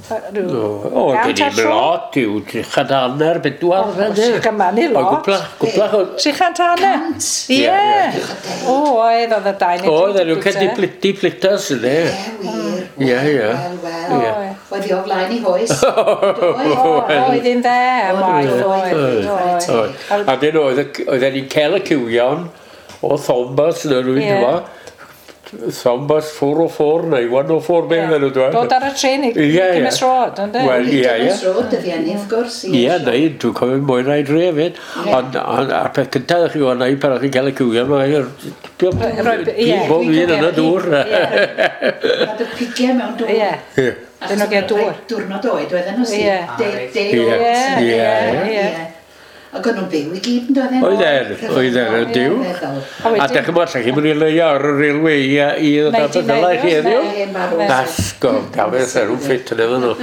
O, gen i'n lot yw 350, 400. Gyma ni lot. Gwplach o... 350? Cant. Ie. Ie, O, oedd y dau neu Oedd, tri nhw'n cael diplitas yna. Ie, wir. Ie, ie. Wel, wel. Ie. Oedd hi o flaen i hoes. Oedd. O, oedd hi'n dde, Oedd, oedd, oedd, oedd. Oedd. A dyn oedden ni'n cael y cywion o Thomas neu rhywun Ie. yma. Thomas 404 neu 104 beth nhw'n dweud. Dod ar y tren i Ie, ie. Cymys Road, ynddo? Wel, ie, ie. Thomas Road, dyddiau ni, wrth gwrs. Ie, neu, dwi'n cofio mwy na i dre hefyd. Ie. Ond a'r peth cyntaf chi o'n neud pan o'ch chi'n cael y cywion, mae'n Ie. bob un yn y dŵr. Ie, Roedd y pigiau mewn dŵr. ie. Ie. Dyn nhw'n gael dŵr. Diwrnod oed oedden nhw sydd. Ie. Day Ie. old. Ie, Ie, ie. Ac o'n nhw'n byw i gyd yn doedden? Oedden, oedden, yn dyw. Rhyfeddol. A A wedyn- dech chi'n allech chi'n mynd i leio ar y railway i ddod â beth fel i chi heddiw? Hen farw. Asgo, gafeth ar nhw'n ffit yn efo nhw.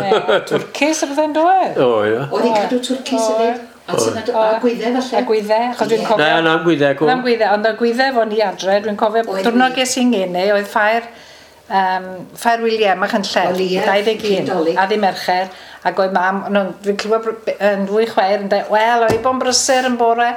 Ie, Twrcis a bethau'n dod. O, ie. Oedd hi'n cadw twrcis hefyd. A sy'n a gwyddau falle. A gwyddau, achos dwi'n Ie. cofio... Na, na'm gwyddau, gwm. Na'm gwyddau, ond y gwyddau fo ni adre, dwi'n cofio, Oedd diwrnod wir. ges i'n ngeni, oedd ffair William a Chynllef, Wel, ie, 21, Nadolig. a ddi Mercher, ac oedd mam, no, dwi'n clywed yn ddwy chwaer yn dweud, wel, oedd hi bo'n brysur yn bore,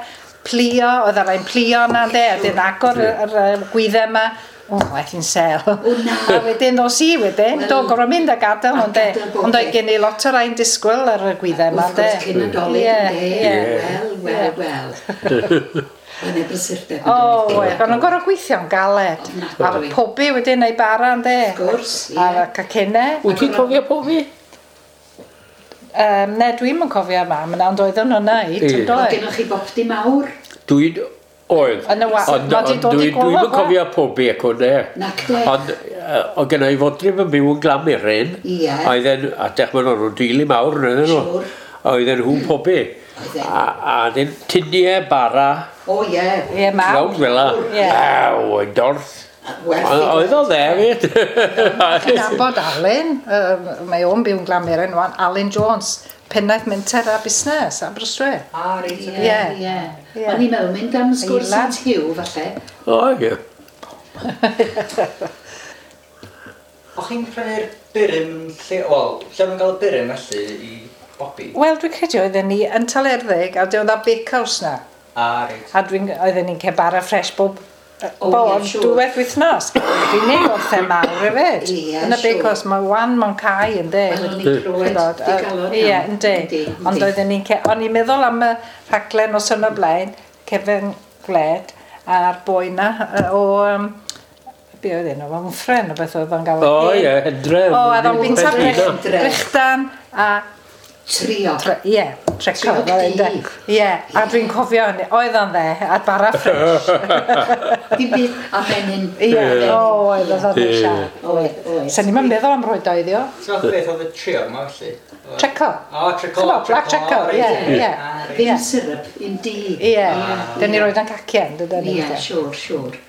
Plio, oedd ar rai'n plio yna, de, a dyn agor yr gwyddau yma. O, aeth hi'n sel. O, na. A wedyn, dos i wedyn, do, gorfod mynd a gadael nhw, de. gadael bob Ond oedd peth. gen i lot o rai'n disgwyl ar y gwyddau yma, Wrth de. gwrs, cyn Nadolig, Ie, ynde? ie. Wel, wel, wel. Mae'n e brysurdeb yn O, doedd? oedd, o'n nhw'n gorfod gweithio'n galed. A Ofnadwy. pobi wedyn neu bara, ynde. Wrth gwrs, ie. A cacennau. Wyt ti'n cofio pobi? Ne, dwi'm yn cofio mam yna, ond oedden nhw'n neud, Ie. yn Oedd doedd? gennych chi bopty mawr? Dwi'n... Oedd. Yn y wa- Ond, ma' 'di ond dod i dwi'n golwg, dwi'm yn wa? cofio pobi ac o'n e. Nac de. Ond oedd gen i fodryb yn byw yn Glamiryn. Ie. Oedden, a dech maen nhw'n deulu mawr yn oedden nhw. Siŵr. Oedden nhw'n pobi. Oedden. A dyn tiniau bara, O, ie. Ie, mawr. rownd fel la. Ie. Aw, yn dorth. Werth i Oedd o dde, fyd. Nabod Alun, mae o'n byw'n Glamiryn wan, Alun Jones, pennaeth menter a busnes, Aberystwyth. Ah, reit, Ie, oce. Ie. ie. Ie. O'n i'n meddwl mynd am sgwrs Eilad. at Hugh, falle. O, ie. O'ch chi'n prynu'r burum lle... Wel, lle o'n gael y burum felly i bobi? Wel, dwi'n credu oedden ni yn Talerddig, a oedd a bakehouse na. Ah, reit. A oedden ni'n cael bara ffres bob O, bob ie, siŵr. dwywaith wythnos. Dwi'n neud wrth e mawr hefyd. Ie, Yn y siŵr. bakehouse, mae wan mewn cae yn de. Wel, o'n i'n clywed digalon Ie, iawn. yndi. Yndi, Ond yndi. oedden ni'n... O'n i'n meddwl am y rhaglen o syn o blaen, Cefn Gwled, a'r boi na o... Be oedd enw? Wmffren o beth oedd o'n gael. O, ie, Hendre. O, a oedd o'n bwyta Hendre. brechdan a Trio. Ie, treco. Triog fel du. ynde. Ie, a dwi'n cofio hynny. Oedd o'n dde, a bara ffres. Dim byd a menyn. Ie, o, oedd o'n Ie. siarad. Oedd, oedd. Sa'n ni'n meddwl am roed o iddi o. So fath o beth oedd y trio yma felly? Treco. O, treco. Ch'mo, black treco, reit, ie, ie. Ah, reit. Ddim syrup, un di. Ie, dyn ni roed o'n cacien, dydyn ni. Ie, siŵr, siŵr.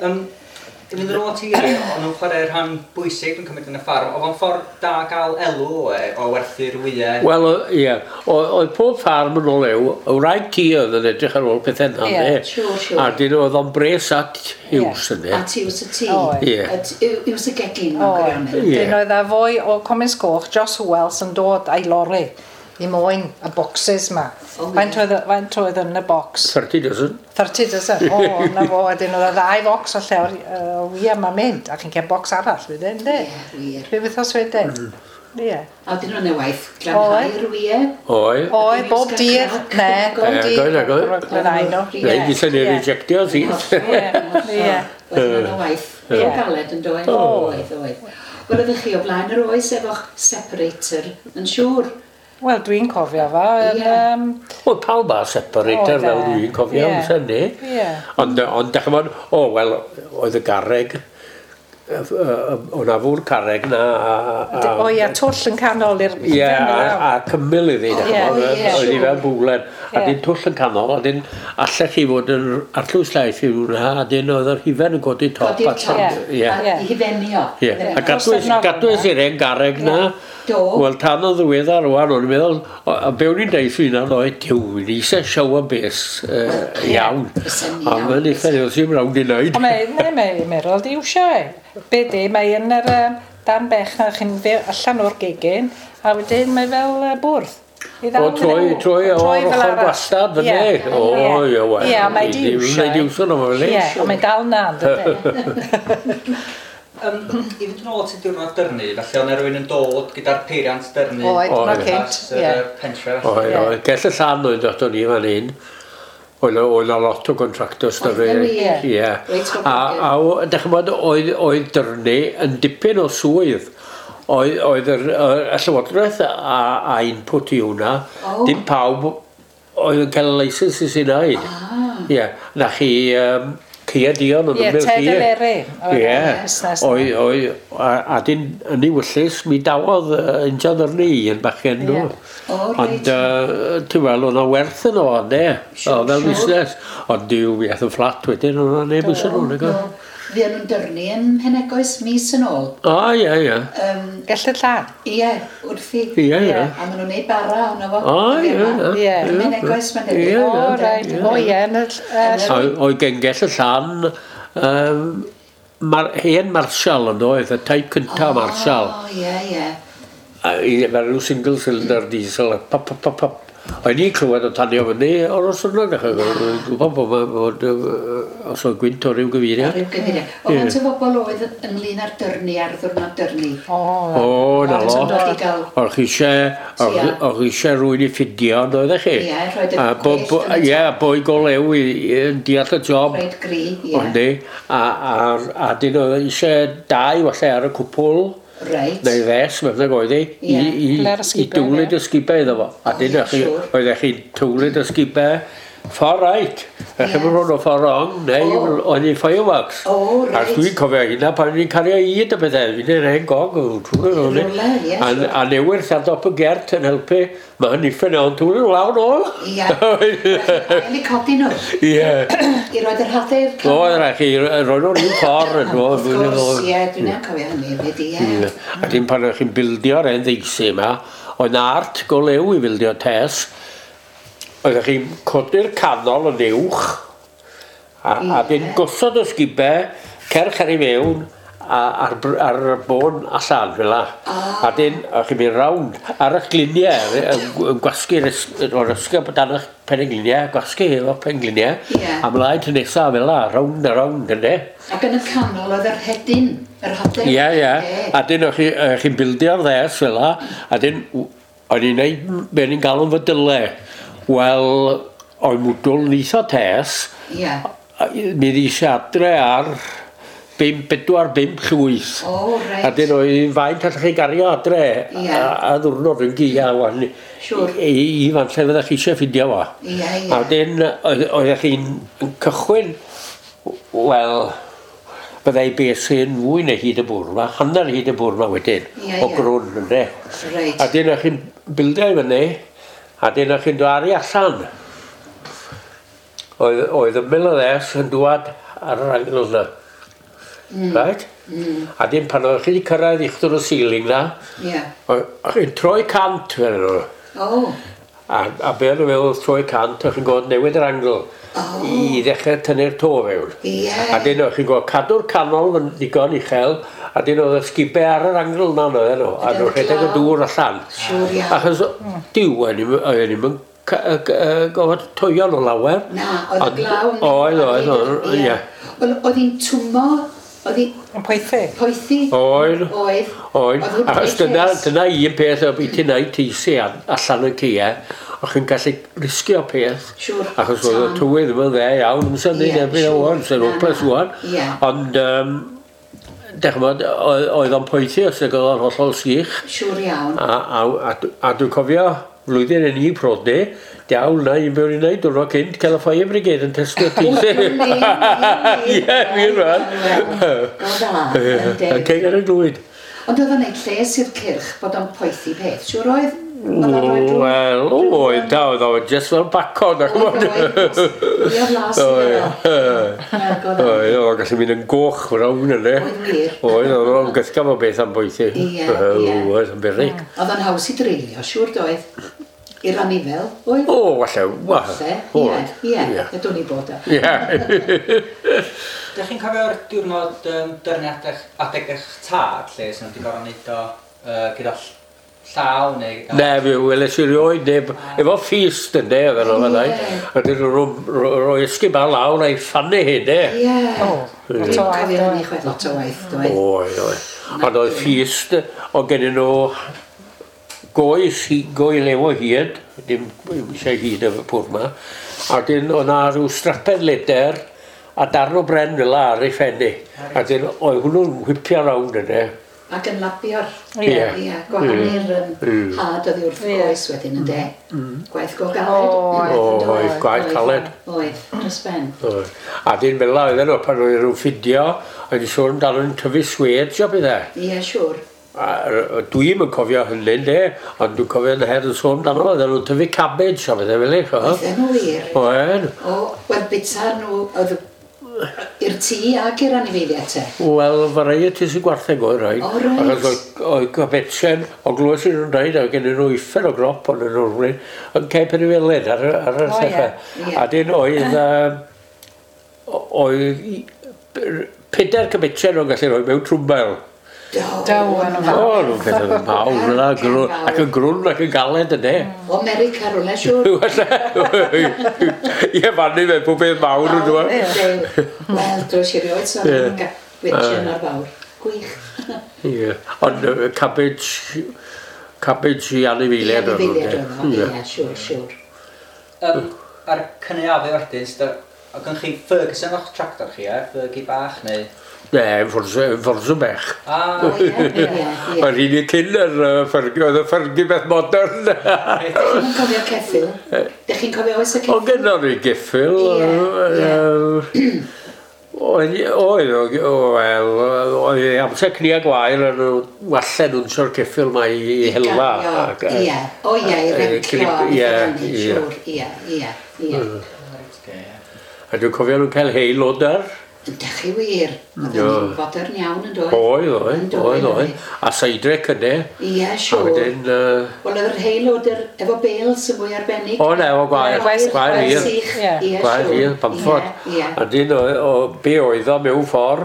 I fynd yn ôl at Eiri, o'n nhw'n chwarae rhan bwysig yn cymryd yn y ffarm. Oedd o'n ffordd da gael elw o e, o werthu'r wyau? Wel, ie. Oedd pob ffarm yn ôl ew, y wraig ti oedd yn edrych ar ôl pethau yna, Ie, ne? siŵr, siŵr. A dyn oedd o'n bres at Hughes yna. At iws y tŷ. Oedd. Ie. At iws y gegin, mewn Oedd. gwirionedd. Ie. Dyn oedd a fwy o Comins Coch, Josh Wells yn dod a'i lori i moyn y boxes ma. O, ie. Faint oedd oedd yn y box? 30 dozen. 30 dozen. O, na fo, wedyn oedd y ddau focs o llewr o wia ma'n mynd, a chi'n cael box arall wedyn, ynddi? Ie, wir. Rhyw wythnos wedyn. Ie. A wedyn o'n waith glanhau'r wyau. Oedd. Oedd, bob dydd, ne, bob Ie, dydd. goedd, goedd. Glanhau nhw. Ie. Neu, gysau ni Ie. rejectio si. Ie, ie. Oedd o'n waith. Ie. Ie. Galed yn doedd. Oedd, oedd. Wel, oeddech chi o blaen yr oes efo'ch separator, yn siŵr. Wel, dwi'n cofio fo. Yn, Ie. Wel, pawb â separator Oedd e. fel dwi'n cofio, Ie. amser ni. Ie. Ond, ond dach chi'mod, o, wel, oedd y garreg, o'na fw'r carreg na. O ie, twll yn canol i'r... Ie, a cymyl iddi, dach Ie, chi'mod, ie, oedd hi siŵr. fel bwlen. A Ie. dyn twll yn canol, a dyn allech chi fod yn arllwys llaeth i hwnna, a dyn oedd yr hufen yn codi top. Codi'r top. allan. Ie. A Ie. i hufenio. Ie, a gadwys, Dros y gadwys i'r hen garreg na. Do. Wel, tan o ddiweddar rwan, o'n i'n meddwl, a be o'n i'n deud wrth hwnna, oedd, diw, ni eisiau shower base iawn. Fysa'n A iawn, mae'n eitha ni'n sy'n rownd i wneud. O, mae, ne, mae Meryl di iwsio e. Be di, mae yn yr dan bech na chi'n allan o'r gegin, a wedyn mae fel bwrdd. I O, ddal troi, nhw. troi o'r fel ochr arall. gwastad fyny. Ie. O, ie, wel. Ie, mae di iwsio. Mae di iwsio nhw, fel Ie, ond mae'n dal na, yn dydy. I fynd yn ôl at y diwrnod dyrnu, felly oedd 'na rywun yn dod gyda'r peiriant dyrnu. Oedd, Oedd. na cynt, Yr ie. pentre. Oedd, Ie. oedd. Gell y llan oedd dod o'n i fan hyn. Oedd 'na lot o contractors da Oedd fe. 'na wir? Ie. Reit, A, dach chi'mod, oedd dyrnu yn dipyn o swydd. Oedd y Llywodraeth a input i hwnna. O. Dim pawb oedd yn cael y licence i sy'n neud. Ie. Na chi Cia Dion yn Ie, ymyl Ted chi. Eleri. Oedd Ie. y busnes 'na. Oedd, a dyn yn ei wyllys, mi dawodd injan ddyrnu un bachgen nhw. Ie. O, reit. Ond, ti'n weld, oedd 'na werth yn o, ynde? Siŵr, O, fel siŵr. busnes. Ond diw, mi aeth yn fflat wedyn, oedd 'na neb eisiau nhw, nag oedd? Fuon nhw'n dyrnu yn Penegoes mis yn ôl. O, ie, ie. Gell y llan. Ie, wrthi. Ie, ie. A maen nhw'n neud bara ohono fo. O, ie, ie. Ie. Yn Penegoes mae'n debyg. Ie, ie. O, reit. O, ie, yn y... Oedd gengell y llan, hen Marshall yn oedd, y type cynta Marshall. O, ie, ie. A i- Fel rhyw single cylinder diesel, pop, pop, pop, pop. O'n i'n clywed o tanio fyny o'r os yna, dwi'n gwybod bod os oedd gwynt o ryw gyfeiriad. O ryw gyfeiriad. O faint o bobl oedd ynglyn â'r dyrnu ar ddwrnod dyrnu? O, na lot. O'ch chi eisiau rhywun i ffidio, oeddech chi? Ie, rhoid y gwellt yn y Ie, boi go lew i deall y job. Rhoid gri, ie. A dyn oedd eisiau dau falle ar y cwpwl. Reit. Neu ddes, mewn ag oedd hi, i dwlyd ysgubau iddo fo. A dyn oeddech chi'n tywlyd ysgubau ffordd right. Ech chi'n mynd o ffordd wrong, neu oedd hi'n fireworks. O, reit. A dwi'n cofio hynna pan o'n i'n cario i y pethau, fi'n yr hen gog. A newyrth ar dop y gert yn helpu, mae hynny ffyn o'n twlyd lawr nôl. Ie, ail i codi nhw. Ie. I roed yr hadau i'r canol. Oedd rhaid chi, roed nhw'n un ffordd. Wrth gwrs, ie, dwi'n cofio hynny hefyd, ie. A dim pan o'ch chi'n bildio'r hen ddeisi yma, oedd 'na art go lew i bildio tes. Oeddech chi'n codi'r canol yn uwch, a dyn gosod y sgubau, cerch ar ei mewn, ar y bôn allan, fel la. A dyn, o'ch chi'n mynd rownd ar eich gliniau, yn gwasgu'r ysgub dan eich pengliniau, gwasgu efo pengliniau, a mlaen ty nesaf fel la, rownd a rownd, ynddo. Ac yn y canol oedd yr hedyn, yr hadau. Ie, ie. A dyn, o'ch chi'n bildio'r ddes fel la, a dyn, o'n i'n neud, be o'n i'n galw'n fydylau. Wel, oedd mwdwl yn eitha tes. Ie. Mi ddys adre ar 4-5 llwyth. O, reit. A dyn oedd faint allech chi gario adre a ddwrnod yn gia wan. Siŵr. I fan lle fyddech chi eisiau ffindio fo. Ie, ie. A dyn, oeddech chi'n cychwyn, wel, byddai beth sy'n fwy na hyd y bwrdd ma, hanner hyd y bwrdd ma wedyn, o grwn, ynddo. Reit. A dyn, o'ch chi'n bildio i fyny, a dyn o'ch chi'n dod allan. Oedd ymyl y ddes yn dŵad ar yr angle yna. Right? A dyn pan o'ch chi wedi cyrraedd uchdwr y ceiling na, o'ch chi'n troi 100 fel nhw. O. A be o'n nhw'n meddwl troi 100, o'ch chi'n gwybod newid yr angle i ddechrau tynnu'r to fewn. A dyn o'ch chi'n gwybod cadw'r canol yn ddigon uchel, a dyn oedd y sgubau ar yr angle yna oedden nhw, a nhw'n rhedeg y dŵr allan. Siŵr iawn. Achos diw, oedden ni'n gofod toio nhw lawer. Na, oedd y glaw yn... Oedd, oedd, ie. Oedd hi'n twmo, oedd hi... Yn poethi. Poethi. Oedd. Oedd. Oedd. Achos dyna un peth o beth ti'n neud teisi allan yn ceia, o'ch chi'n gallu risgio peth. Siŵr. Achos oedd y tywydd ddim yn dde iawn, amser ni'n erbyn o wan, sy'n hopeless wan. Ond, dechmod, oedd o'n poethi os oedd o'n hollol sych. Siŵr iawn. A dwi'n cofio, flwyddyn yn i prodi, diawl na, un beth o'n i'n neud, diwrnod cynt, cael y fire brigade yn testio teisi. Ie, wir rhan. O dda, Yn ceg ar y glwyd. Ond oedd o'n neud lles i'r cyrch bod o'n poethi peth, siŵr oedd? Wel, oedd, da, oedd o'n just fel bacon, ac Oedd, oedd, oedd las iddo. Oedd, oedd, gallu mynd yn goch frown yna. Oedd wir. Oedd, oedd o'n gysgaf o beth am boethi. Ie, ie. Oedd, yn beryg. Oedd o'n haws i dreulio, siŵr doedd, i'r anifel, oedd? O, falle, Falle, ie, ie, ydw ni bod o. Ie. Dych chi'n cofio'r diwrnod dyrniad adeg eich tad, lle sy'n wedi gorfod wneud o gyda llaw neu... Ne, fi weles i rioed neb, efo ffist yn de, oedden nhw fan'na. A dyn nhw'n rhoi ysgub ar lawr a'i ffannu hyn, de. Ie. O, lot o waith. Cofio hynny chwaith, lot o waith, doedd. Oedd, oedd. Ond oedd ffist, o gennyn nhw goi lew o hyd, dim eisiau hyd y pwr ma, a dyn oedd na rhyw strapen leder a darn o bren fel ar ei phenni. A dyn oedd hwnnw'n whipio rownd yna. Ac yn lapio'r, Ie. gwahanu'r had oddi wrth goes wedyn yn de. Gwaith go galed. Oedd, gwaith caled. Oedd, dros ben. A dyn fel la oedden nhw, pan oedd nhw'n ffidio, oedd nhw'n sôn amdano nhw'n tyfu sweds o bethau. Ie, siŵr. Dwi'm yn cofio hynny, de, ond dwi'n cofio yn her yn sôn amdano, oedden nhw'n tyfu cabbage o bethau fel eich. Oedden nhw wir. Oedden. O, wel, bita nhw, oedd i'r tŷ ac i'r anifeiliaid te? Wel, varieties y gwartheg oedd rhaid. O, reit. Achos oedd gobetsen, o glywes i nhw'n dweud, oedd gen nhw uffern o grop ond nhw'n yn cael penifelen ar yr dechrau. A dyn oedd, oedd 4 cybetsen o'n gallu rhoi mewn trwmbael. Do. Do, yn O, nhw'n pethau mawr yna, ac yn grwn ac yn galed yna. O America rwle, siwr. Ie, fannu fe, pob beth mawr yn dweud. Wel, dwi'n i rioed sôn am winchen o'r fawr. Gwych. Ie, ond cabbage i anifeiliaid. Anifeiliaid oedd o, ie, siwr, siwr. A'r cynaeafu wedyn, oedd gen chi Ferguson o'ch tractor chi, e? Fergie bach, neu? Ne, Forza bech. Ah, ie, ie, ie. Oedd un i cyn yr Fergie, oedd y Fergie beth modern. Chi'n cofio ceffyl? Dych chi'n cofio oes y ceffyl? O, gynnon ni geffyl. Oedd, wel, oedd amser cnia gwair yn walle nhw'n sio'r ceffyl mae i hela. Ie, o ie, i rencio. Ie, ie. Ie, ie, ie. A dwi'n cofio nhw'n cael hay loader. Ydych chi wir? Oedd yn fodern iawn yn dod. Oedd, oedd, oedd. A seidrec yna. Ie, siwr. Wel, oedd yr hay loader efo bales yn fwy arbennig. O, ne, efo gwair. Gwair hir. Gwair hir, pamffod. A dyn, be oedd o mewn ffordd,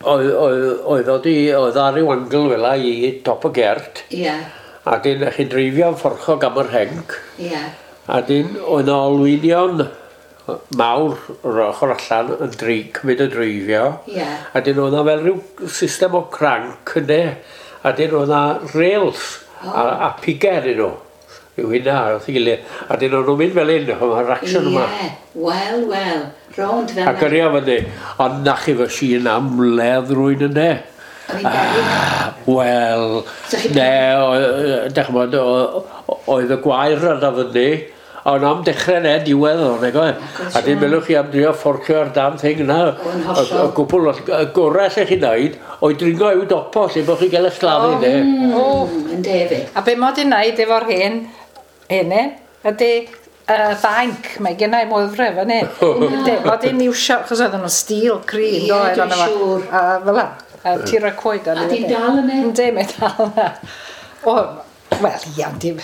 oedd oedd ar ryw angle fel i top y gert. Ie. A dyn, chi'n dreifio'n fforchog am yr henc. Ie. A dyn, oedd o olwynion mawr o'r ochr allan yn cymryd y dreifio. Yeah. A dyn oedd fel rhyw system o cranc yna. A dyn oedd na rails a piger yn nhw. Yw hynna, wrth ei gilydd. A dyn o'n nhw'n mynd fel un, mae'r action yma. Ie, wel, wel, rownd fel A gyrru o fyny. Ond na chi fy sy'n am ledd rwy'n yna. Oedd hi'n beryg? Wel, ne, dych chi'n bod, oedd y gwair yna fyny. Ond am dechrau ne, diwedd o'n ego. A dyn melwch chi am drio fforcio ar damn thing yna. Y gwbl, y gorau lle chi'n neud, oedd dringo i'w dopo, lle bod chi'n gael eich gladdu, ne. Yn defyd. A be mod i'n neud efo'r hen, henne, ydy banc, mae gen i moddre fan hyn. Mod i'n iwsio, achos oedden nhw'n steel cry, Ie, dwi'n siŵr. A fel la, tir y coed. A di'n dal yna? Yndi, mae dal yna. O, wel, ia, di...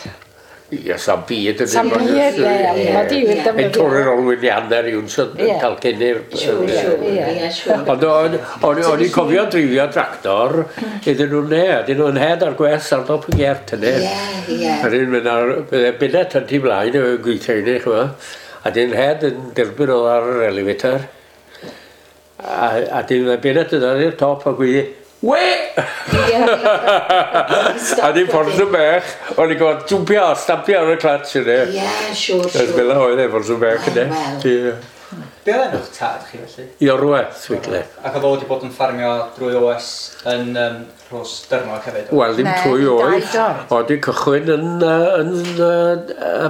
Ie, sa'n byd yn Sa'n byd, ie, mae di wir defnyddio. Yn torri'r olwyn i hanner i wnsod yn cael cynnyr. Siŵr, siŵr, ie, siŵr. Ond o'n i'n cofio dreifio tractor iddyn nhw'n ne, iddyn nhw'n head ar gwes ar dop y gert hynny. Ie, ie. A dyn mynd ar, bydde binet yn tu blaen y gweithio i ni, chwa. A dyn head yn derbyn oedd ar yr elevator. A dyn binet yn dod i'r top a gweithio, we! A di ffordd yn bech, o'n i'n gwybod jwmpio, stampio ar y clutch yna. Ie, siŵr, siŵr. Fel oedd e ffordd yn bech yna. Be oedd enw'ch tad chi felly? Iorwerth, Wigle. Ac oedd o wedi bod yn ffarmio drwy oes yn Rhos Dyrnog hefyd? Wel, ddim trwy oes. Oedd wedi cychwyn yn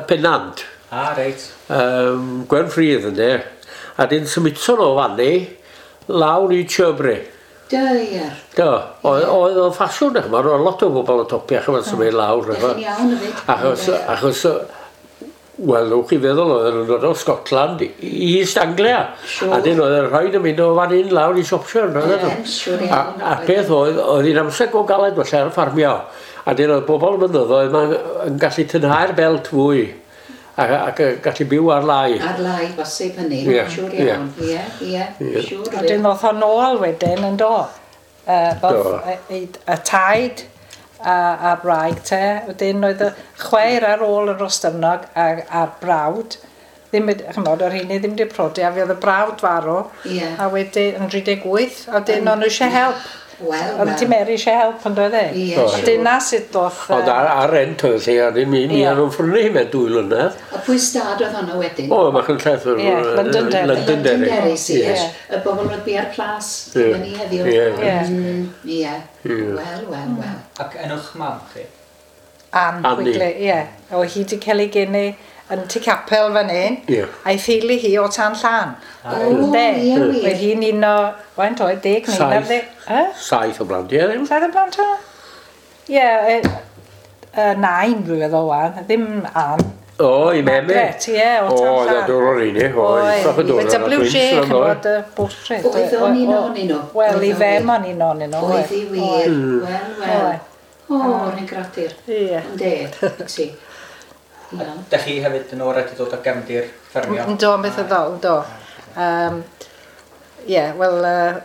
Pennant. Ah, reit. Gwen Ffridd yna. A dyn symudson o fanni lawr i Chirbury. Dyr. Do, oedd o'n ffasiwn, ch'mod, oedd lot o bobl o topia, ch'mod, symud lawr. Dych chi'n iawn hefyd. Achos, wel, ewch chi feddwl, oedden nhw'n dod o Scotland i East Anglia. A dyn oedd yn rhaid yn mynd o fan hyn lawr i Shropshire. Ie, siŵr iawn. A'r peth oedd, oedd hi'n amser go galed felly ar y ffarmio. A dyn oedd bobl mynyddoedd yn gallu tynhau'r belt fwy. Ac gallu byw ar lai. Ar lai, bosib hynny, siŵr iawn. Ie, ie, siŵr. Wedyn ddoth o nôl wedyn yn do. Y taid a'r wraig te, wedyn oedd y chwaer ar ôl yn Rhostyrnog a'r brawd. Ddim, ch'mod, o'r rheini ddim wedi prodi, a fi oedd y brawd farw. A wedyn yn 38, a wedyn o'n nhw eisiau help. Wel, Oedd ti Mary eisiau help yn doedd e? Ie, siŵr. Dyna sut ddoth... Ond ar rent oedd lle, a mi o'n nhw'n ffrynu mewn 2 mlynedd. A pwy stad oedd honno wedyn? O, Machynlleth. Ie, Londonderry. Londonderry, ie. Y bobl oedd bia'r plas, yn ni heddiw. Ie. Wel, wel, wel. Ac enw'ch mam chi? Ann Wigley, ie. O, hi wedi cael ei geni yn Tŷ Capel fan hyn, a'i theulu hi o Tan Llan. O, ie, wir. Oedd hi'n un o, faint oedd, 10 neu 11? 7 o blant, ie, ddim. 7 o blant o? Ie, nain dwi'n feddwl wan, ddim Ann. O, i meme. Margaret, ie, o Tan Llan. O, oedd o'r un i, o, Oedd, WJ, chymod, y bwtrid. Oedd o'n un ohonyn nhw? Wel, i fem o'n un ohonyn nhw. Oedd hi wir, wel, wel. O, rhaid gradur. Ie. Ynde, ti. Dych chi hefyd yn o'r wedi dod o gefndir ffermio? Ynddo, beth oedd o, ynddo. Ie, wel,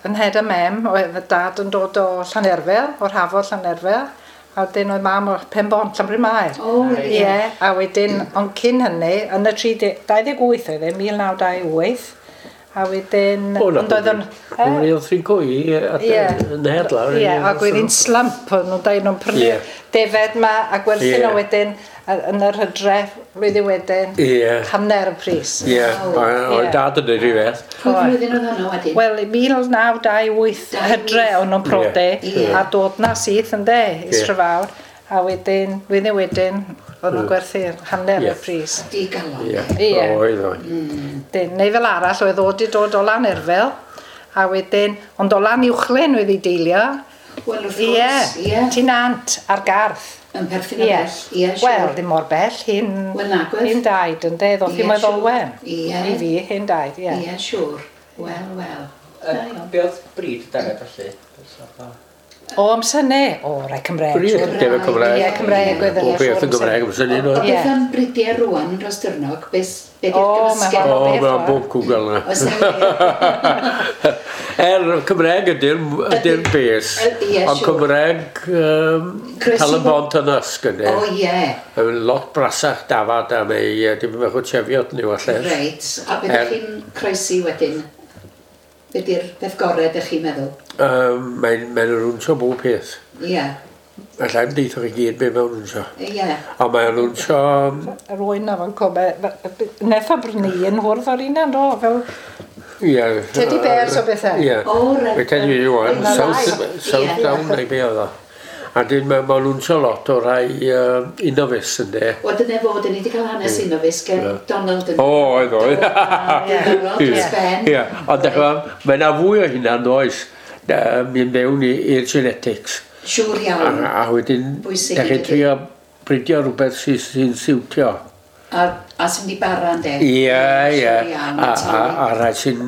yn head a mem, oedd y dad yn dod o Llanerfel, o'r hafod Llanerfel, a wedyn oedd mam o'r Penbont, Llanbryn-mair. O, reit. Ie, a wedyn, ond cyn hynny, yn y 28 oedd e, 1928, a wedyn... O, na, ond oedd o'n... O'n i oedd thrin coi Ie. yn head lawr. Ie, ac oedd hi'n slump, o'n nhw'n dweud nhw'n prynu defed ma a gwerthu nhw wedyn yn yr hydref, flwyddyn wedyn, hanner y pris. Ie, oedd dad yn dweud rhyw beth. Pwy flwyddyn oedd hwnnw wedyn? Wel, 1928 hydre o'n nhw'n prodi a dod na syth ynde, i Strafawr, a wedyn, flwyddyn wedyn, o'n nhw'n gwerthu hanner y pris. Digalon. Ie, oedd oedd. Dyn, neu fel arall, oedd o 'di dod o Lanerfel, a wedyn, ond o Lanuwchllyn oedd ei deilio. Wel, wrth gwrs, ie. Ti'n ant ar garth. Yn perthyn o bell, ie, siŵr. Wel, ddim mor bell, hyn, Wel, nagwedd. hyn daid, ynde, ddoth i Ie, Moelddolwen. siŵr. Ie. I fi, hyn daid, ie. Ie, siŵr. Wel, wel. Da iawn. Be oedd bryd y defed felly? O, amser ne, o, rai Cymraeg. Bryd siŵr. defed Cymraeg. Ie, Cymraeg oedd Bob yna, beth yn Gymraeg amser ni, O, no? Ie. beth am bridiau rwan yn Rhostyrnog? Beth be di'r O, ma' gymysgedd? O, beth mae'n o. bob cwgl yna. Oes na Cymraeg ydy'r ydy bes. Ie, Ond siŵr. Cymraeg Croesi Tal-y-bont yn ysg ydy. O, ie. Yn lot brasach dafad a mae dim bach o chefiot ni falle. Reit. A beth ydych chi'n croesi wedyn? Be di'r peth gorau ydych chi'n meddwl? Mae'n mae rwnsio bob peth. Ie. Alla i'm deitho chi gyd be mewn rwnsio. Ie. A mae'n rwnsio... Yr oen na fo'n cwm, neth o brynu un hwrdd o'r un do, fel Ie. Teddy bears o bethau. Ie. O, reit. Mae Teddy Bears wan, Mae South, ddau. South Ie. Down neu be oedd o. A dyn mae ma nhw'n lot o rai Innovis yn de. Wel, dyna fod, ni wedi cael hanes Innovis gen Donald yn... O, oedd oedd. Diddorol, dros ben. Ie, ond dych chi'n mae yna fwy o hynna yn oes mynd mewn i'r genetics. Siŵr iawn. A wedyn, Bwysig dych chi'n ydydi? trio bridio rhywbeth sy'n sy siwtio. A sy'n mynd i bara, ynde? Ie, ie. Siŵr iawn, A, a rhai sy'n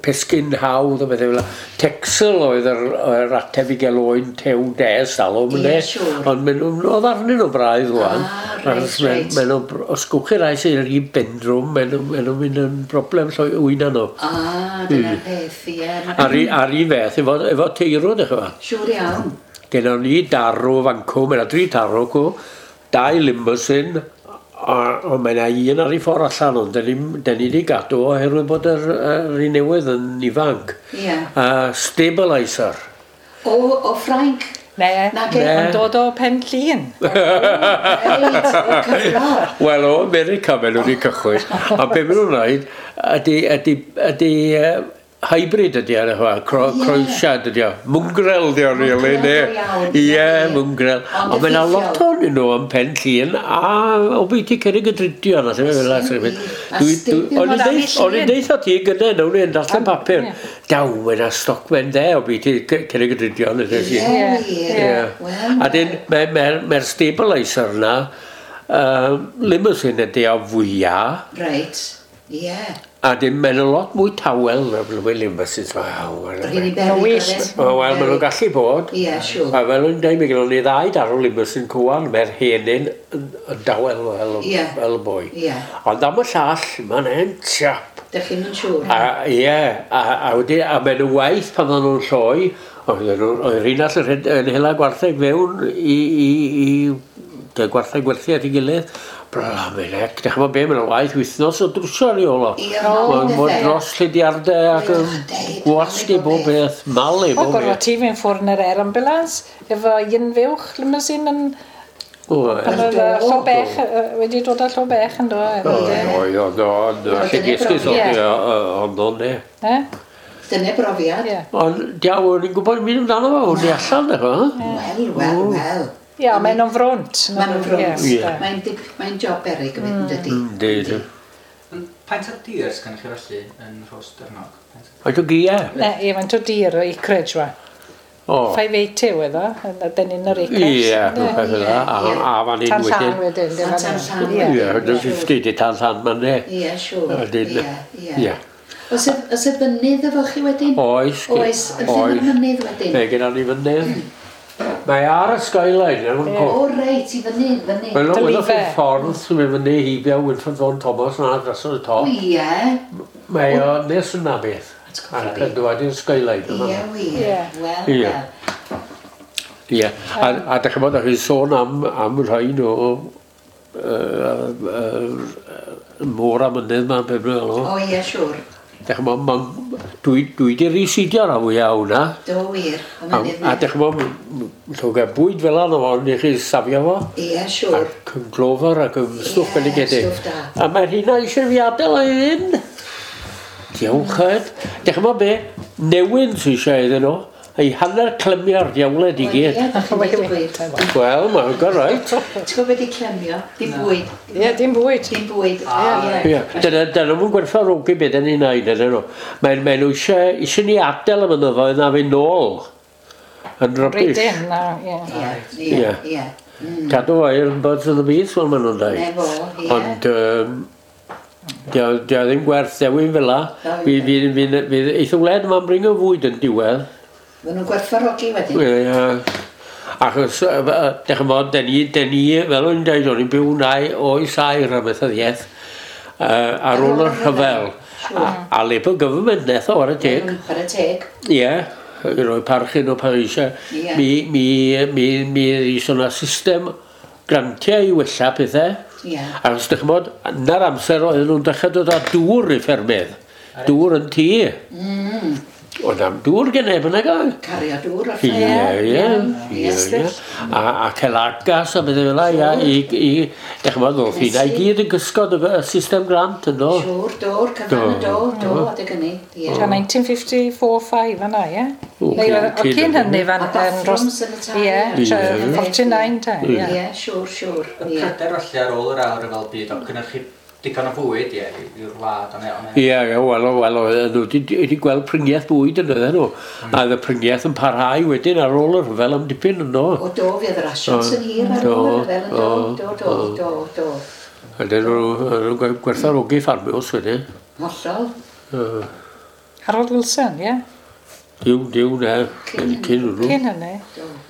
pesgyn hawdd a bethau fel 'na. Texel oedd yr ateb i gael oen tew des alw, Ie, ynde? siŵr. Ond maen nhw'n oedd arnyn nhw braidd rwan. Ah, reit, Achos maen- reit. maen nhw, os gwch chi rai sy'n rhy bendrwm, maen nhw'n mynd yn broblem llwy wyna nhw. Ah, dyna'r peth, ie. A'r un fath, efo teirw, dych chi'n Siŵr iawn. Gennon ni darw fancw, mae yna dri tarw cw, dau limousin, a mae yna un ar ei ffordd allan, ond dyn ni wedi gadw oherwydd bod yr un newydd yn ifanc. Ie. A stabiliser. O Ffrainc. Ne, Nage. Ne. yn dod o Pen Llŷn. Reit, o cyflor. Wel, o America maen nhw wedi cychwyn. A be maen nhw'n wneud ydy hybrid ydy ar y chwa, croesiad ydy o. Mwngrel ydy o, really, Mwngrel ne? go iawn, Ie, ie. mwngrel. Ond Ond mae yna effeithiol. lot ohonyn nhw yn Pen Llŷn a o beth i Cerrig y Drudion a lle fel yna. A stadiwm O'n o i'n Llŷn. deitha ti gyda, nawn ni'n darllen papur. ie. Daw, mae yna stocmen de o beth i Cerrig y Drudion. Ie, Ie. wir. Ie. Wel, A dyn, mae'r mae stabiliser yna, limousine ydy o fwyaf, Reit, ie. a dyn mae'n lot mwy tawel na'r blwyddyn limousines. Waw, Rhaid i beryg, wyllt. oedd e? Wel, maen nhw'n gallu bod. Ie, siŵr. A fel o'n dweud, mae gennym ni ddau darw limousine cwan, mae'r henyn yn dawel fel, Ie. fel y boi. Ie. Ond am y llall, mae'n hen chap. Dych chi'n mynd siŵr. A ie, a wedyn, a maen nhw waith pan oedden nhw'n lloi, oedd yr un all yn hela gwartheg fewn i gwartheg gwerthu at ei gilydd. Bla, mae'n ec, dych chi'n be, mae'n waith wythnos o drwsio ar ei ôl o. Ie, Mae'n malu bod pethau. dros llidiardau ac yn Deud, gwasgu malu bob bob beth, malu O, bob gorfod beth. ti fynd ffwrdd yn yr air ambulance efo un fuwch limousine yn... O, ie. Pan oedd Do. llo bech, wedi dod â llo bech yn do. Oedd, oedd, oedd, oedd, lle gesgus Ie. oedd, oedd, ne. Ne? Dyna brofiad. Ie. Ond, diawl, o'n i'n gwybod mynd amdano fo, o'n i allan, dych chi'n Wel, wel, wel. Ie, maen nhw'n frwnt. Maen nhw'n frwnt. Ie. Mae'n mae'n job beryg yn mynd, dydy. Yndi, yndi. Paent o dir sgan chi felly yn Rhostyrnog? Faint o gia? Ne, ie, mae'n o dir o acreage, wa. O. 580 oedd o, yn dyn un o'r acres. Ie, ynde? rhywbeth fel 'na. A fan hyn Tan llan wedyn. wedyn, dim A tan fan llan hyn. Ie, 150 di tan llan ma'n ne. Ie, siŵr. Wedyn, Ie, ie. Ie. Oes y fynydd efo chi wedyn? Oes. Oes, yn lle mae'r mynydd wedyn? Mae genna ni fynydd. Mae ar y skyline, yn cwch. O, reit, i fyny, fyny. Wel, welwch Dylife. chi'r ffordd sy'n mynd fyny heibio Wilfred Vaughan Thomas na dros y O, top. ie. Mae o nes yna beth. Atgoffa Ac fi. yn dod i'r skyline yma. Ie, wir. Ie. Wel, Ie. wel. Ie. A dych chi'n bod, chi'n sôn am rhain o môr a mynydd ma'n beth bynnag O, o. ie, siŵr. Dych chi'n bod, dwi di residio rhan fwyaf o hwnna. Do, wir. Y A, mynydd a 'na. dych chi'n bod, llwg bwyd fel yna fo, ni chi safio fo. Ie, siŵr. Ac yn glofer ac yn stwff Ie, bendigedig. stwff da. A mae'r hynna eisiau fi adael ei fynd. Diolch chyd. Dych chi'n bod be? Newyn sy eisiau iddyn nhw. Ei hanner clymio'r diawled i Wel, gyd. Ie, dach chi'n dweud y gwir. Wel, mae'n go right. Ti'n gwybod beth i clemio? Dim bwyd. Ie, dim bwyd. Dim bwyd. Ie, dyna nhw'n gwerthfawrogi beth yn ei wneud, ydyn nhw. Mae nhw eisiau ni adael y mynyddoedd na fynd nôl. Yn rubbish. Rydyn, na, ie. Ie, ie, Ie. ie. Cadw air yn birds of the bees, fel maen nhw'n dweud. Ne fo, ie. Ond dio ddim gwerth dewin fel la. Na, Fi eitha wled yma'n bringo fwyd yn diwedd. Maen nhw'n gwerthfawrogi wedyn. Ie. Achos, dych chi'n bod, den ni, fel o'n i'n dweud, o'n i'n byw nai oes air amaethyddiaeth ar ôl y rhyfel. A Labour Government neth o, ar y teg. Chwarae teg. Ie, i roi parch un o Parisia. Ie. Mi ddys o'na system grantiau i wella pethau. Ie. Achos dych chi'n bod, na'r amser oedden nhw'n dechrau dod â dŵr i ffermydd. Dŵr yn tŷ. Oedd am dŵr gen neb yn ag. Cario dŵr o'r Ie, ie, Ie, ie, ie. A celagas a bethau fel 'na, ie, i, dych chi'n bod, ddoth hynna i gyd yn gysgod y system grant yn do. Siŵr, dôr, cyfan y dôr, do, adeg hynny. Ie. Ta 1954-5 yna, ie? O, Neu oedd- o cyn cyn hynny fan A bathrooms yn y tai. Ie, Ie. 49 ta, ie. Ie, siŵr, siŵr. Y Ie. pryder felly ar ôl yr ail ryfel byd o cynhyrchu digon o fwyd, ie, i'r wlad ond Ie, ie, wel, oedden nhw wedi gweld priniaeth bwyd yn oedden nhw. A oedd y priniaeth yn parhau wedyn ar ôl y rhyfel am dipyn yn do. O do, fi oedd yr asiant yn hir ar ôl y rhyfel yn do, do, do, do, do. A dyn nhw'n gwerthfawrogi ffarmiwrs wedyn. Hollol. Harold Wilson, ie? Diw, diw, ne. Cyn hwnnw. Cyn hynny.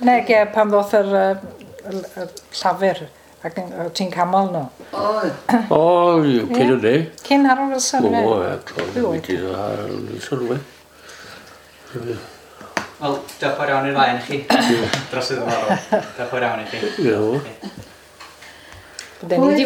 Neg, ie, pan ddoth yr llafur ac ti'n camol nhw. O, O, cyn hynny. Cyn Harold Wilson, O, ie. ie, clon, wedi. Wel, diolch yn fawr iawn i'r ddau i chi. Dros y ddiddorol. Diolch yn fawr iawn i chi. Ie. Bydden ni wedi